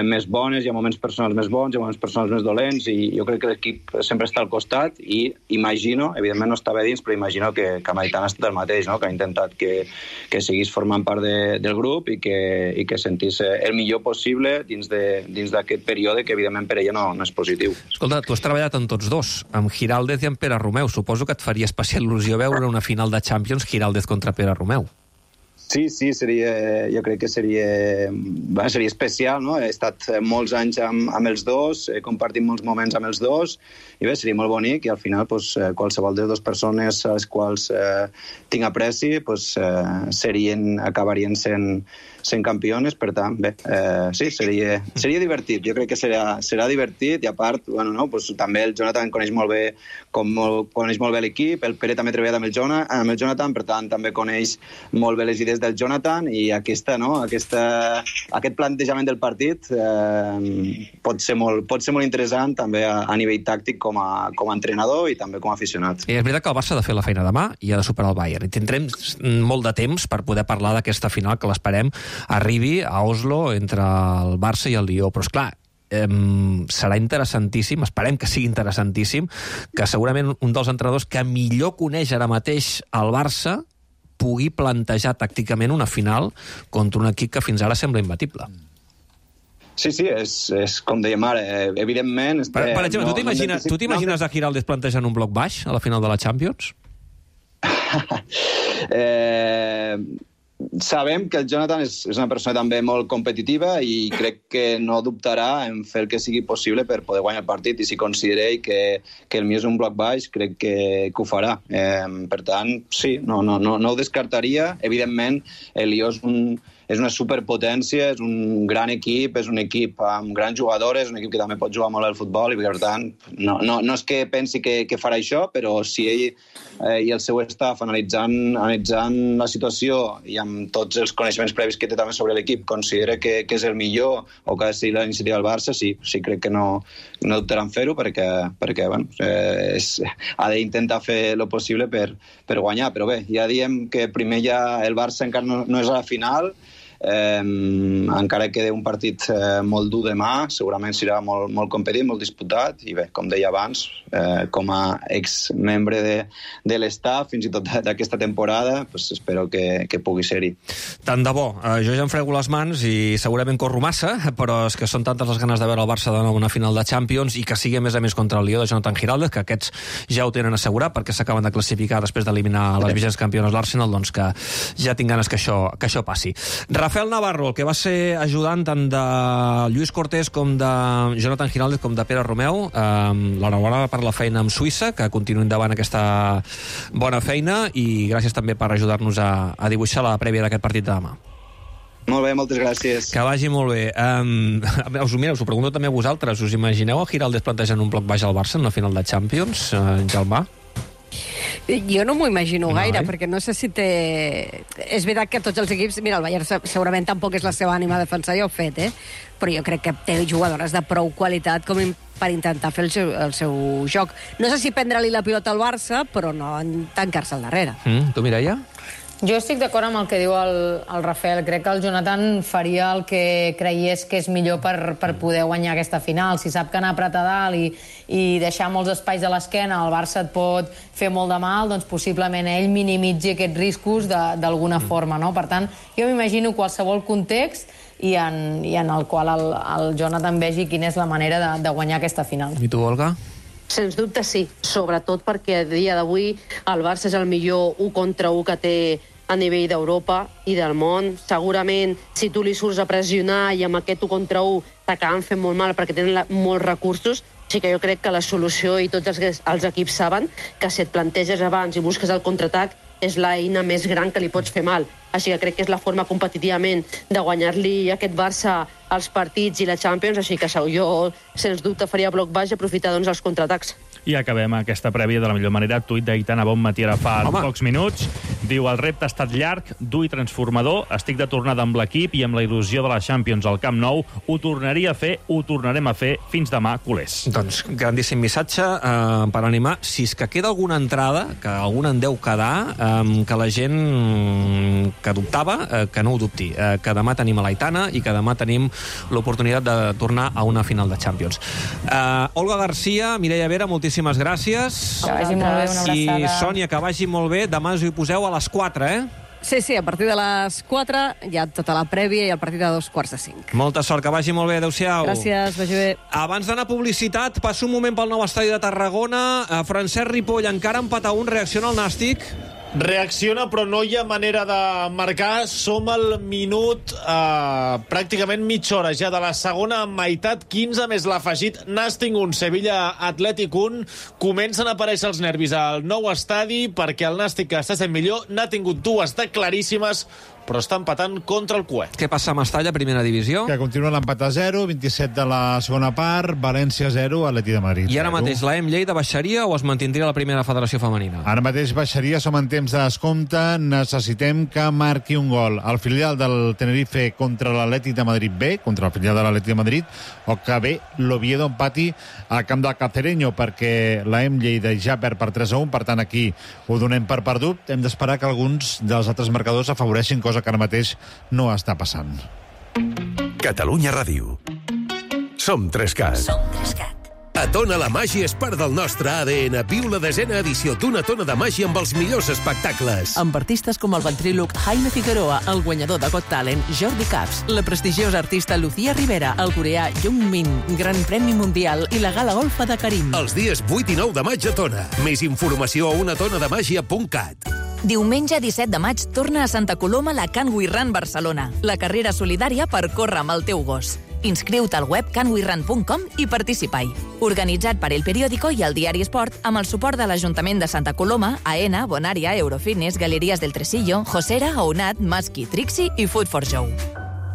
més bones, hi ha moments personals més bons, hi ha moments personals més dolents, i jo crec que l'equip sempre està al costat, i imagino, evidentment no estava dins, però imagino que amb Aitana ha estat el mateix, no? Que ha intentat que seguís formant part del grup i que sentís el millor possible dins d'aquest període, que evidentment per ella no és positiu. Escolta, tu has treballat amb tots dos, amb Giraldez i amb Pere Romeu. Suposo que et faria especial il·lusió veure una final de Champions Giraldez contra Pere Romeu. Sí, jo crec que seria especial, no? He estat molts anys amb els dos, he compartit molts moments amb els dos, i bé, seria molt bonic, i al final qualsevol de les dues persones a les quals tinc apreci acabarien sent campiones, per tant, bé, sí, seria divertit, jo crec que serà divertit, i a part, també el Jonathan coneix molt bé l'equip, el Pere també ha treballat amb el Jonathan, per tant, també coneix molt bé les idees del Jonathan, i aquest plantejament del partit pot ser molt interessant també a nivell tàctic com a entrenador i també com a aficionat. I és veritat que el Barça ha de fer la feina demà i ha de superar el Bayern. I tindrem molt de temps per poder parlar d'aquesta final que l'esperem arribi a Oslo entre el Barça i el Lió. Però, esclar, serà interessantíssim, esperem que sigui interessantíssim, que segurament un dels entrenadors que millor coneix ara mateix el Barça pugui plantejar tàcticament una final contra un equip que fins ara sembla imbatible. Sí, és com dèiem ara, evidentment... Per exemple, tu t'imagines a Giraldez plantejant un bloc baix a la final de la Champions? Sabem que el Jonathan és una persona també molt competitiva i crec que no dubtarà en fer el que sigui possible per poder guanyar el partit, i si considera que el millor és un bloc baix, crec que ho farà. Per tant, sí, no ho descartaria. Evidentment, el Lió és una superpotència, és un gran equip, és un equip amb grans jugadores, un equip que també pot jugar molt al futbol, i per tant, no és que pensi que farà això, però si ell i el seu staff, analitzant la situació i amb tots els coneixements previs que té també sobre l'equip, considera que és el millor o que ha de ser la iniciativa del Barça, sí crec que no dubtaran fer-ho, perquè ha d'intentar fer el possible per guanyar. Però bé, ja diem que primer el Barça encara no és a la final, encara queda un partit molt dur demà, segurament serà molt competit, molt disputat, i bé, com deia abans, com a exmembre de l'estaff, fins i tot d'aquesta temporada, espero que pugui ser-hi. Tant de bo. Jo ja em frego les mans i segurament corro massa, però és que són tantes les ganes de veure el Barça de nou una final de Champions, i que sigui a més contra el Lió de Jonathan Giraldez, que aquests ja ho tenen assegurat perquè s'acaben de classificar després d'eliminar les vigents campiones l'Arsenal, doncs que ja tinc ganes que això passi. Rafael Navarro, el que va ser ajudant tant de Lluís Cortés com de Jonathan Giraldez com de Pere Romeu, l'enhorabona per la feina amb Suïssa, que continuïn endavant aquesta bona feina, i gràcies també per ajudar-nos a dibuixar la prèvia d'aquest partit de demà. Molt bé, moltes gràcies. Que vagi molt bé. Us ho pregunto també a vosaltres. Us imagineu a Giraldez plantejant un bloc baix al Barça en la final de Champions, Jalmà? Jo no m'ho imagino gaire, perquè no sé si té... És veritat que tots els equips... Mira, el Bayern segurament tampoc és la seva ànima a defensar, ja ho he fet, però jo crec que té jugadores de prou qualitat com per intentar fer el seu joc. No sé si prendre-li la pilota al Barça, però no tancar-se al darrere. Tu, Mireia? Jo estic d'acord amb el que diu el Rafael. Crec que el Jonathan faria el que creiés que és millor per poder guanyar aquesta final. Si sap que anar a dalt i deixar molts espais a l'esquena, el Barça et pot fer molt de mal, doncs possiblement ell minimitzi aquests riscos d'alguna forma, no? Per tant, jo m'imagino qualsevol context i en el qual el Jonathan vegi quina és la manera de guanyar aquesta final. I tu, Olga? Sens dubte sí, sobretot perquè a dia d'avui el Barça és el millor 1 contra 1 que té a nivell d'Europa i del món. Segurament, si tu li surts a pressionar i amb aquest 1 contra 1 t'acaben fent molt mal perquè tenen molts recursos, sí que jo crec que la solució, i tots els equips saben, que si et planteges abans i busques el contraatac, és l'eina més gran que li pots fer mal. Així que crec que és la forma competitivament de guanyar-li aquest Barça els partits i la Champions, així que jo, sens dubte, faria bloc baix i aprofitar els contraatacs. I acabem aquesta prèvia de la millor manera. Tuit d'Aitana Bonmatí ara fa pocs minuts. Diu, el repte ha estat llarg, dur i transformador. Estic de tornada amb l'equip i amb la il·lusió de la Champions al Camp Nou. Ho tornaria a fer, ho tornarem a fer. Fins demà, culers. Doncs grandíssim missatge per animar. Si és que queda alguna entrada, que alguna en deu quedar, que la gent que dubtava, que no ho dubti. Que demà tenim a l'Aitana i que demà tenim l'oportunitat de tornar a una final de Champions. Olga Garcia, Mireia Vera, moltíssimes gràcies. Que vagi molt bé, una abraçada. I Sònia, que vagi molt bé. Demà us hi poseu a les 4, eh? Sí, a partir de les 4 hi ha tota la prèvia i el partit de 2:45. Molta sort, que vagi molt bé. Adéu-siau. Gràcies, vagi bé. Abans d'anar a publicitat, passo un moment pel nou estadi de Tarragona. Francesc Ripoll, encara empat a 1, reacciona el Nàstic. Reacciona, però no hi ha manera de marcar. Som al minut pràcticament mitja hora ja de la segona meitat, 15 més l'afegit. Nàstic 1, Sevilla Atlètic 1. Comencen a aparèixer els nervis al nou estadi perquè el Nàstic, que està sent millor, n'ha tingut dues de claríssimes, però està empatant contra el Cué. Què passa a Mestalla, primera divisió? Que continua l'empat a 0, 27 de la segona part, València 0, Atleti de Madrid 0. I ara mateix la Lleida baixaria o es mantindria la primera federació femenina? Ara mateix baixaria, som en temps de descompte, necessitem que marqui un gol el filial del Tenerife contra l'Atlètic de Madrid B, contra el filial de l'Atlètic de Madrid, o que bé l'Oviedo empati al camp del Cacereño, perquè la Lleida ja perd per 3-1, per tant aquí ho donem per perdut. Hem d'esperar que alguns dels altres marcadors afavoreixin, cosa que ara mateix no està passant. Catalunya Ràdio. Som 3CAT. A Tona la màgia és part del nostre ADN. Viu la 10a edició d'Una Tona de Màgia amb els millors espectacles. Amb artistes com el ventríloc Jaime Figueroa, el guanyador de Got Talent, Jordi Caps, la prestigiosa artista Lucía Rivera, el coreà Jung Min, Gran Premi Mundial i la gala golfa de Karim. Els dies 8 i 9 de maig a Tona. Més informació a unatonademagia.cat. Diumenge 17 de maig torna a Santa Coloma la Can We Run Barcelona, la carrera solidària per córrer amb el teu gos. Inscriu-te al web canwerun.com i participa-hi. Organitzat per El Periódico i el Diari Esport amb el suport de l'Ajuntament de Santa Coloma, AENA, Bonària, Eurofitness, Galeries del Tresillo, Josera, Ounat, Maski, Trixie i Food for Joe.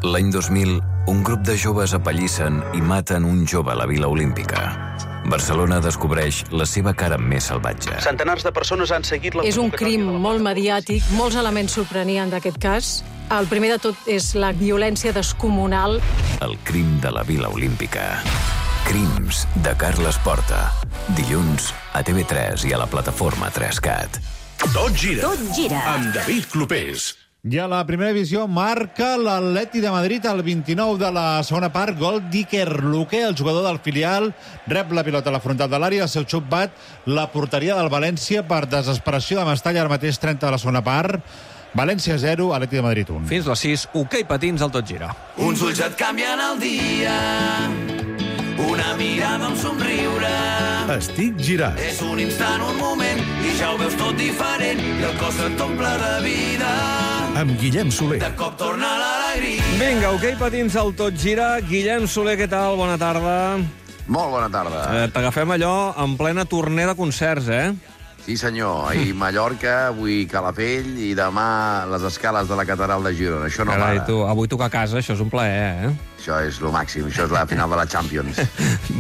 L'any 2000, un grup de joves apallissen i maten un jove a la Vila Olímpica. Barcelona descobreix la seva cara més salvatge. Centenars de persones han seguit la... És un crim molt mediàtic, molts elements sorprenien d'aquest cas. El primer de tot és la violència descomunal. El crim de la Vila Olímpica. Crims de Carles Porta. Dilluns a TV3 i a la plataforma 3CAT. Tot gira. Tot gira. Amb David Clopés. I a la primera divisió marca l'Atleti de Madrid al 29 de la segona part. Gol d'Iker Luque, el jugador del filial. Rep la pilota a la frontal de l'àrea. El seu xut bat la porteria del València per desesperació de Mestalla. Ara mateix 30 de la segona part. València 0, Atleti de Madrid 1. Fins les 6, hoquei patins al Tot Gira. Uns ulls et canvien el dia, una mirada, un somriure. Estic girat. És un instant, un moment, i ja ho veus tot diferent, i el cos et omple de vida. Amb Guillem Soler. De cop torna l'alegria. Vinga, hoquei patins al Tot Gira. Guillem Soler, què tal? Bona tarda. Molt bona tarda. T'agafem allò en plena torner de concerts, eh? Sí, senyor. Ahir Mallorca, avui Calafell i demà les escales de la catedral de Girona. Això no Carai, para. tu, avui tocar a casa, això és un plaer, eh? Això és lo màxim, això és la final de la Champions.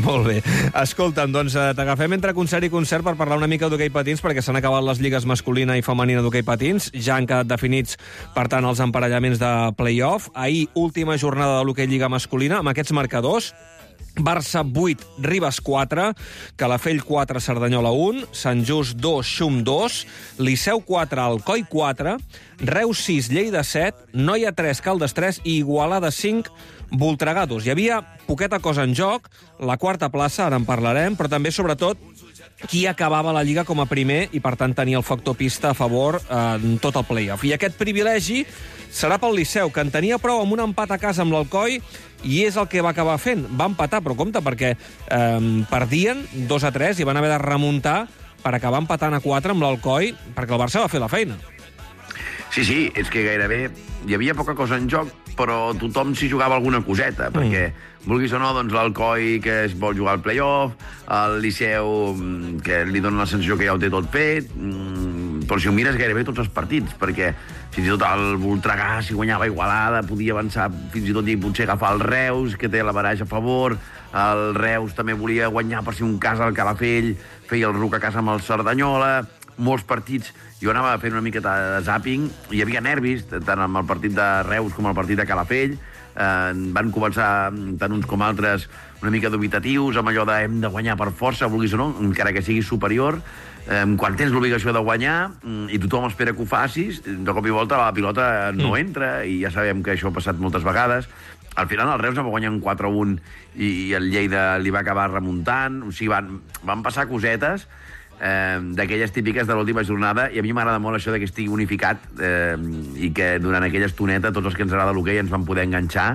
Molt bé. Escolta'm, doncs t'agafem entre concert i concert per parlar una mica d'hoquei patins, perquè s'han acabat les lligues masculina i femenina d'hoquei patins. Ja han quedat definits, per tant, els emparellaments de play-off. Ahir, última jornada de l'hoquei lliga masculina, amb aquests marcadors. Barça 8, Ribes 4, Calafell 4, Cerdanyola 1, Sant Just 2, Xum 2, Liceu 4, Alcoi 4, Reus 6, Lleida 7, Noia 3, Caldes 3 i Igualada 5, Voltregà 2. Hi havia poqueta cosa en joc, la quarta plaça, ara en parlarem, però també, sobretot, qui acabava la Lliga com a primer i, per tant, tenia el factor pista a favor en tot el play-off. I aquest privilegi serà pel Liceu, que en tenia prou amb un empat a casa amb l'Alcoi i és el que va acabar fent. Va empatar, però compte, perquè perdien 2-3 i van haver de remuntar per acabar empatant a 4 amb l'Alcoi, perquè el Barça va fer la feina. Sí, és que gairebé hi havia poca cosa en joc, però tothom s'hi jugava alguna coseta, perquè, vulguis o no, doncs l'Alcoi que es vol jugar al play-off, el Liceu que li dona la sensació que ja ho té tot fet, però si ho mires gairebé tots els partits, perquè fins i tot el Voltregà, si guanyava Igualada, podia avançar fins i tot i potser agafar el Reus, que té la baraja a favor, el Reus també volia guanyar per si un cas al Calafell, feia el Ruc a casa amb el Cerdanyola, molts partits. Jo anava fent una miqueta de zàping, hi havia nervis, tant amb el partit de Reus com el partit de Calafell. Van començar, tant uns com altres, una mica dubitatius, amb allò de hem de guanyar per força, vulguis o no, encara que siguis superior. Quan tens l'obligació de guanyar i tothom espera que ho facis, de cop i volta la pilota no entra, i ja sabem que això ha passat moltes vegades. Al final el Reus va guanyar un 4-1 i el Lleida li va acabar remuntant. O sigui, van passar cosetes d'aquelles típiques de l'última jornada, i a mi m'agrada molt això que estigui unificat i que durant aquella estoneta tots els que ens agrada l'hoquei ens van poder enganxar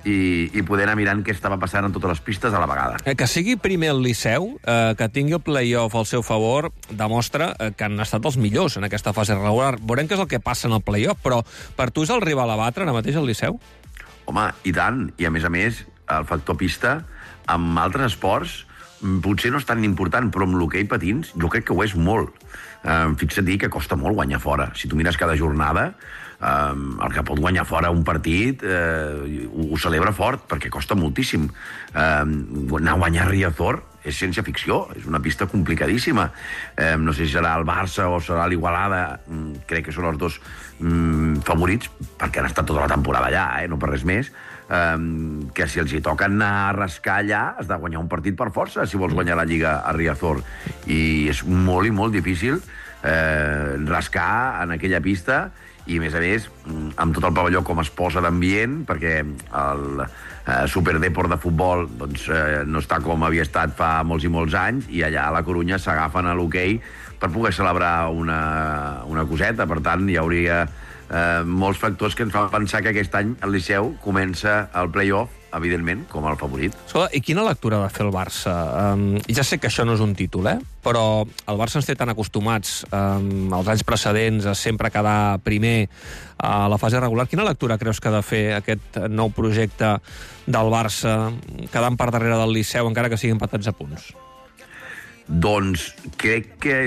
i poder anar mirant què estava passant en totes les pistes a la vegada. Que sigui primer el Liceu, que tingui el play-off al seu favor, demostra que han estat els millors en aquesta fase regular. Veurem què és el que passa en el play-off, però per tu és el rival a batre ara mateix el Liceu? Home, i tant. I a més, el factor pista, amb altres esports, potser no és tan important, però amb l'hoquei patins jo crec que ho és molt. Fixa't dir que costa molt guanyar fora. Si tu mires cada jornada, el que pot guanyar fora un partit ho celebra fort, perquè costa moltíssim. Anar a guanyar Riazor és ciència-ficció, és una pista complicadíssima. No sé si serà el Barça o serà l'Igualada, crec que són els dos favorits, perquè han estat tota la temporada allà, no per res més, que si els hi toca anar a rascar allà has de guanyar un partit per força si vols guanyar la Lliga a Riazor, i és molt i molt difícil rascar en aquella pista, i a més amb tot el pavelló com es posa d'ambient, perquè el Superdeport de futbol doncs, no està com havia estat fa molts i molts anys, i allà a la Corunya s'agafen a l'hoquei per poder celebrar una coseta. Per tant, hi hauria molts factors que ens fan pensar que aquest any el Liceu comença el play-off, evidentment, com el favorit. Escolta, i quina lectura va fer el Barça? Ja sé que això no és un títol, però el Barça ens té tan acostumats als anys precedents a sempre quedar primer a la fase regular. Quina lectura creus que ha de fer aquest nou projecte del Barça quedant per darrere del Liceu, encara que siguin empatats a punts? Doncs crec que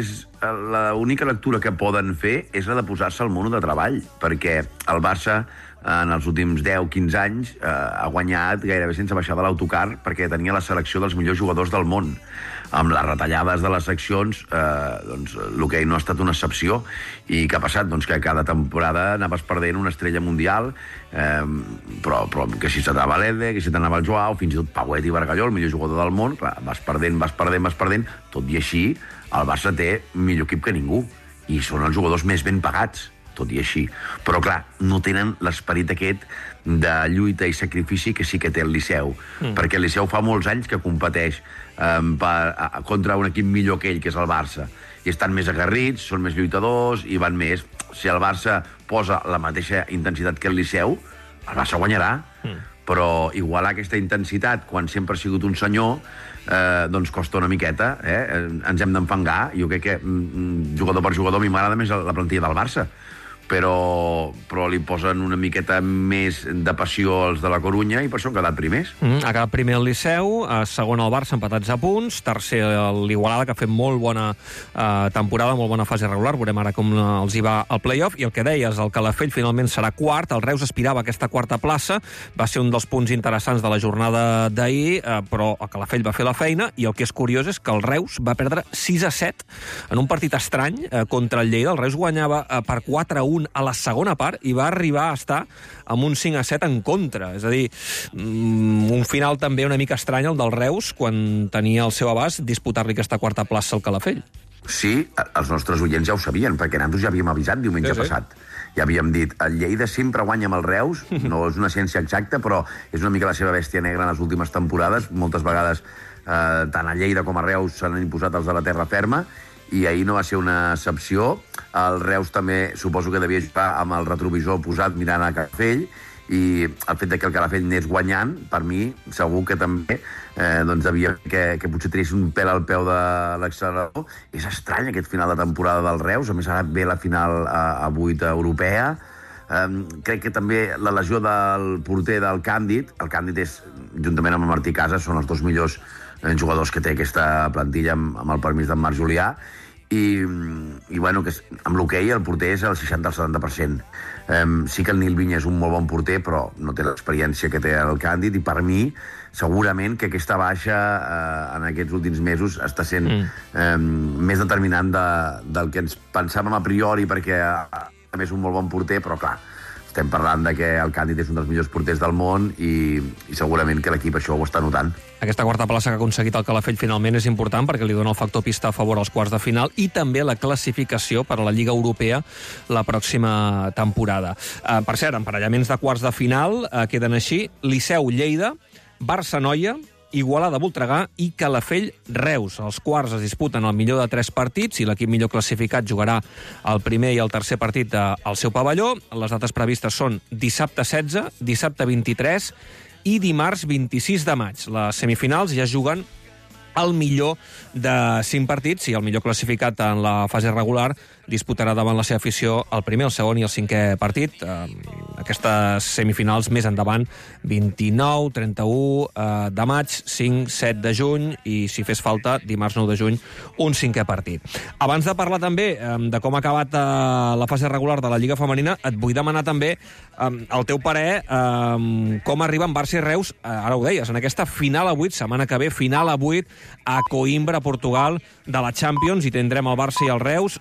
l'única lectura que poden fer és la de posar-se al mono de treball, perquè el Barça en els últims 10-15 anys ha guanyat gairebé sense baixar de l'autocar, perquè tenia la selecció dels millors jugadors del món. Amb les retallades de les seccions, doncs, l'hoquei no ha estat una excepció. I què ha passat? Doncs que cada temporada anaves perdent una estrella mundial, però que si s'anava l'Ede, que si t'anava el Joao, fins i tot Pauet i Bargalló, el millor jugador del món, clar, vas perdent, tot i així el Barça té millor equip que ningú, i són els jugadors més ben pagats, tot i així. Però, clar, no tenen l'esperit aquest de lluita i sacrifici que sí que té el Liceu, perquè el Liceu fa molts anys que competeix contra un equip millor que ell, que és el Barça, i estan més aguerrits, són més lluitadors i van més. Si el Barça posa la mateixa intensitat que el Liceu, el Barça guanyarà, però igualar aquesta intensitat quan sempre ha sigut un senyor doncs costa una miqueta, ens hem d'enfangar. Jo crec que jugador per jugador a mi m'agrada més la plantilla del Barça, però li posen una miqueta més de passió als de la Corunya i per això han quedat primers. Ha quedat primer el Liceu, segon el Barça, empatats a punts, tercer l'Igualada, que ha fet molt bona temporada, molt bona fase regular, veurem ara com els hi va al play-off, i el que deies, el Calafell finalment serà quart, el Reus aspirava a aquesta quarta plaça, va ser un dels punts interessants de la jornada d'ahir, però el Calafell va fer la feina, i el que és curiós és que el Reus va perdre 6-7 en un partit estrany contra el Lleida. El Reus guanyava per 4-1 a la segona part i va arribar a estar amb un 5-7 en contra. És a dir, un final també una mica estrany el del Reus, quan tenia al seu abast disputar-li aquesta quarta plaça al Calafell. Sí, els nostres oients ja ho sabien, perquè nosaltres ja havíem avisat diumenge passat. Ja havíem dit, el Lleida sempre guanya amb el Reus, no és una ciència exacta, però és una mica la seva bèstia negra en les últimes temporades. Moltes vegades tant a Lleida com a Reus s'han imposat els de la terra ferma, i ahir no va ser una excepció. El Reus també suposo que devia jugar amb el retrovisor posat mirant a Calafell, i el fet que el Calafell anés guanyant, per mi, segur que també devia que potser tenies un pèl al peu de l'accelerador. És estrany aquest final de temporada del Reus, a més ara ve la final a 8 europea. Crec que també la lesió del porter del Càndid, el Càndid és, juntament amb el Martí Casas, són els dos millors jugadors que té aquesta plantilla amb el permís d'en Marc Julià, i bueno, que amb l'hoquei el porter és el 60 al 70%. Sí que el Nil Vinya és un molt bon porter, però no té l'experiència que té el Càndid, i per mi segurament que aquesta baixa en aquests últims mesos està sent més determinant del que ens pensàvem a priori, perquè a més un molt bon porter, però clar, estem parlant de que el Càndid és un dels millors porters del món, i segurament que l'equip això ho està notant. Aquesta quarta plaça que ha aconseguit el Calafell finalment és important perquè li dona el factor pista a favor als quarts de final i també la classificació per a la Lliga Europea la pròxima temporada. Per cert, emparellaments de quarts de final queden així: Liceu-Lleida, Barça-Noia, Igualada-Voltregà i Calafell-Reus. Els quarts es disputen el millor de 3 partits i l'equip millor classificat jugarà el primer i el tercer partit al seu pavelló. Les dates previstes són dissabte 16, dissabte 23 i dimarts 26 de maig. Les semifinals ja es juguen el millor de 5 partits i el millor classificat en la fase regular disputarà davant la seva afició el primer, el segon i el cinquè partit. Aquestes semifinals més endavant, 29, 31 de maig, 5, 7 de juny i, si fes falta, dimarts 9 de juny, un cinquè partit. Abans de parlar també de com ha acabat la fase regular de la Lliga Femenina, et vull demanar també el teu parer com arriben Barça i Reus, ara ho deies, en aquesta final a 8, setmana que ve, final a 8, a Coimbra, Portugal, de la Champions, i tindrem el Barça i el Reus.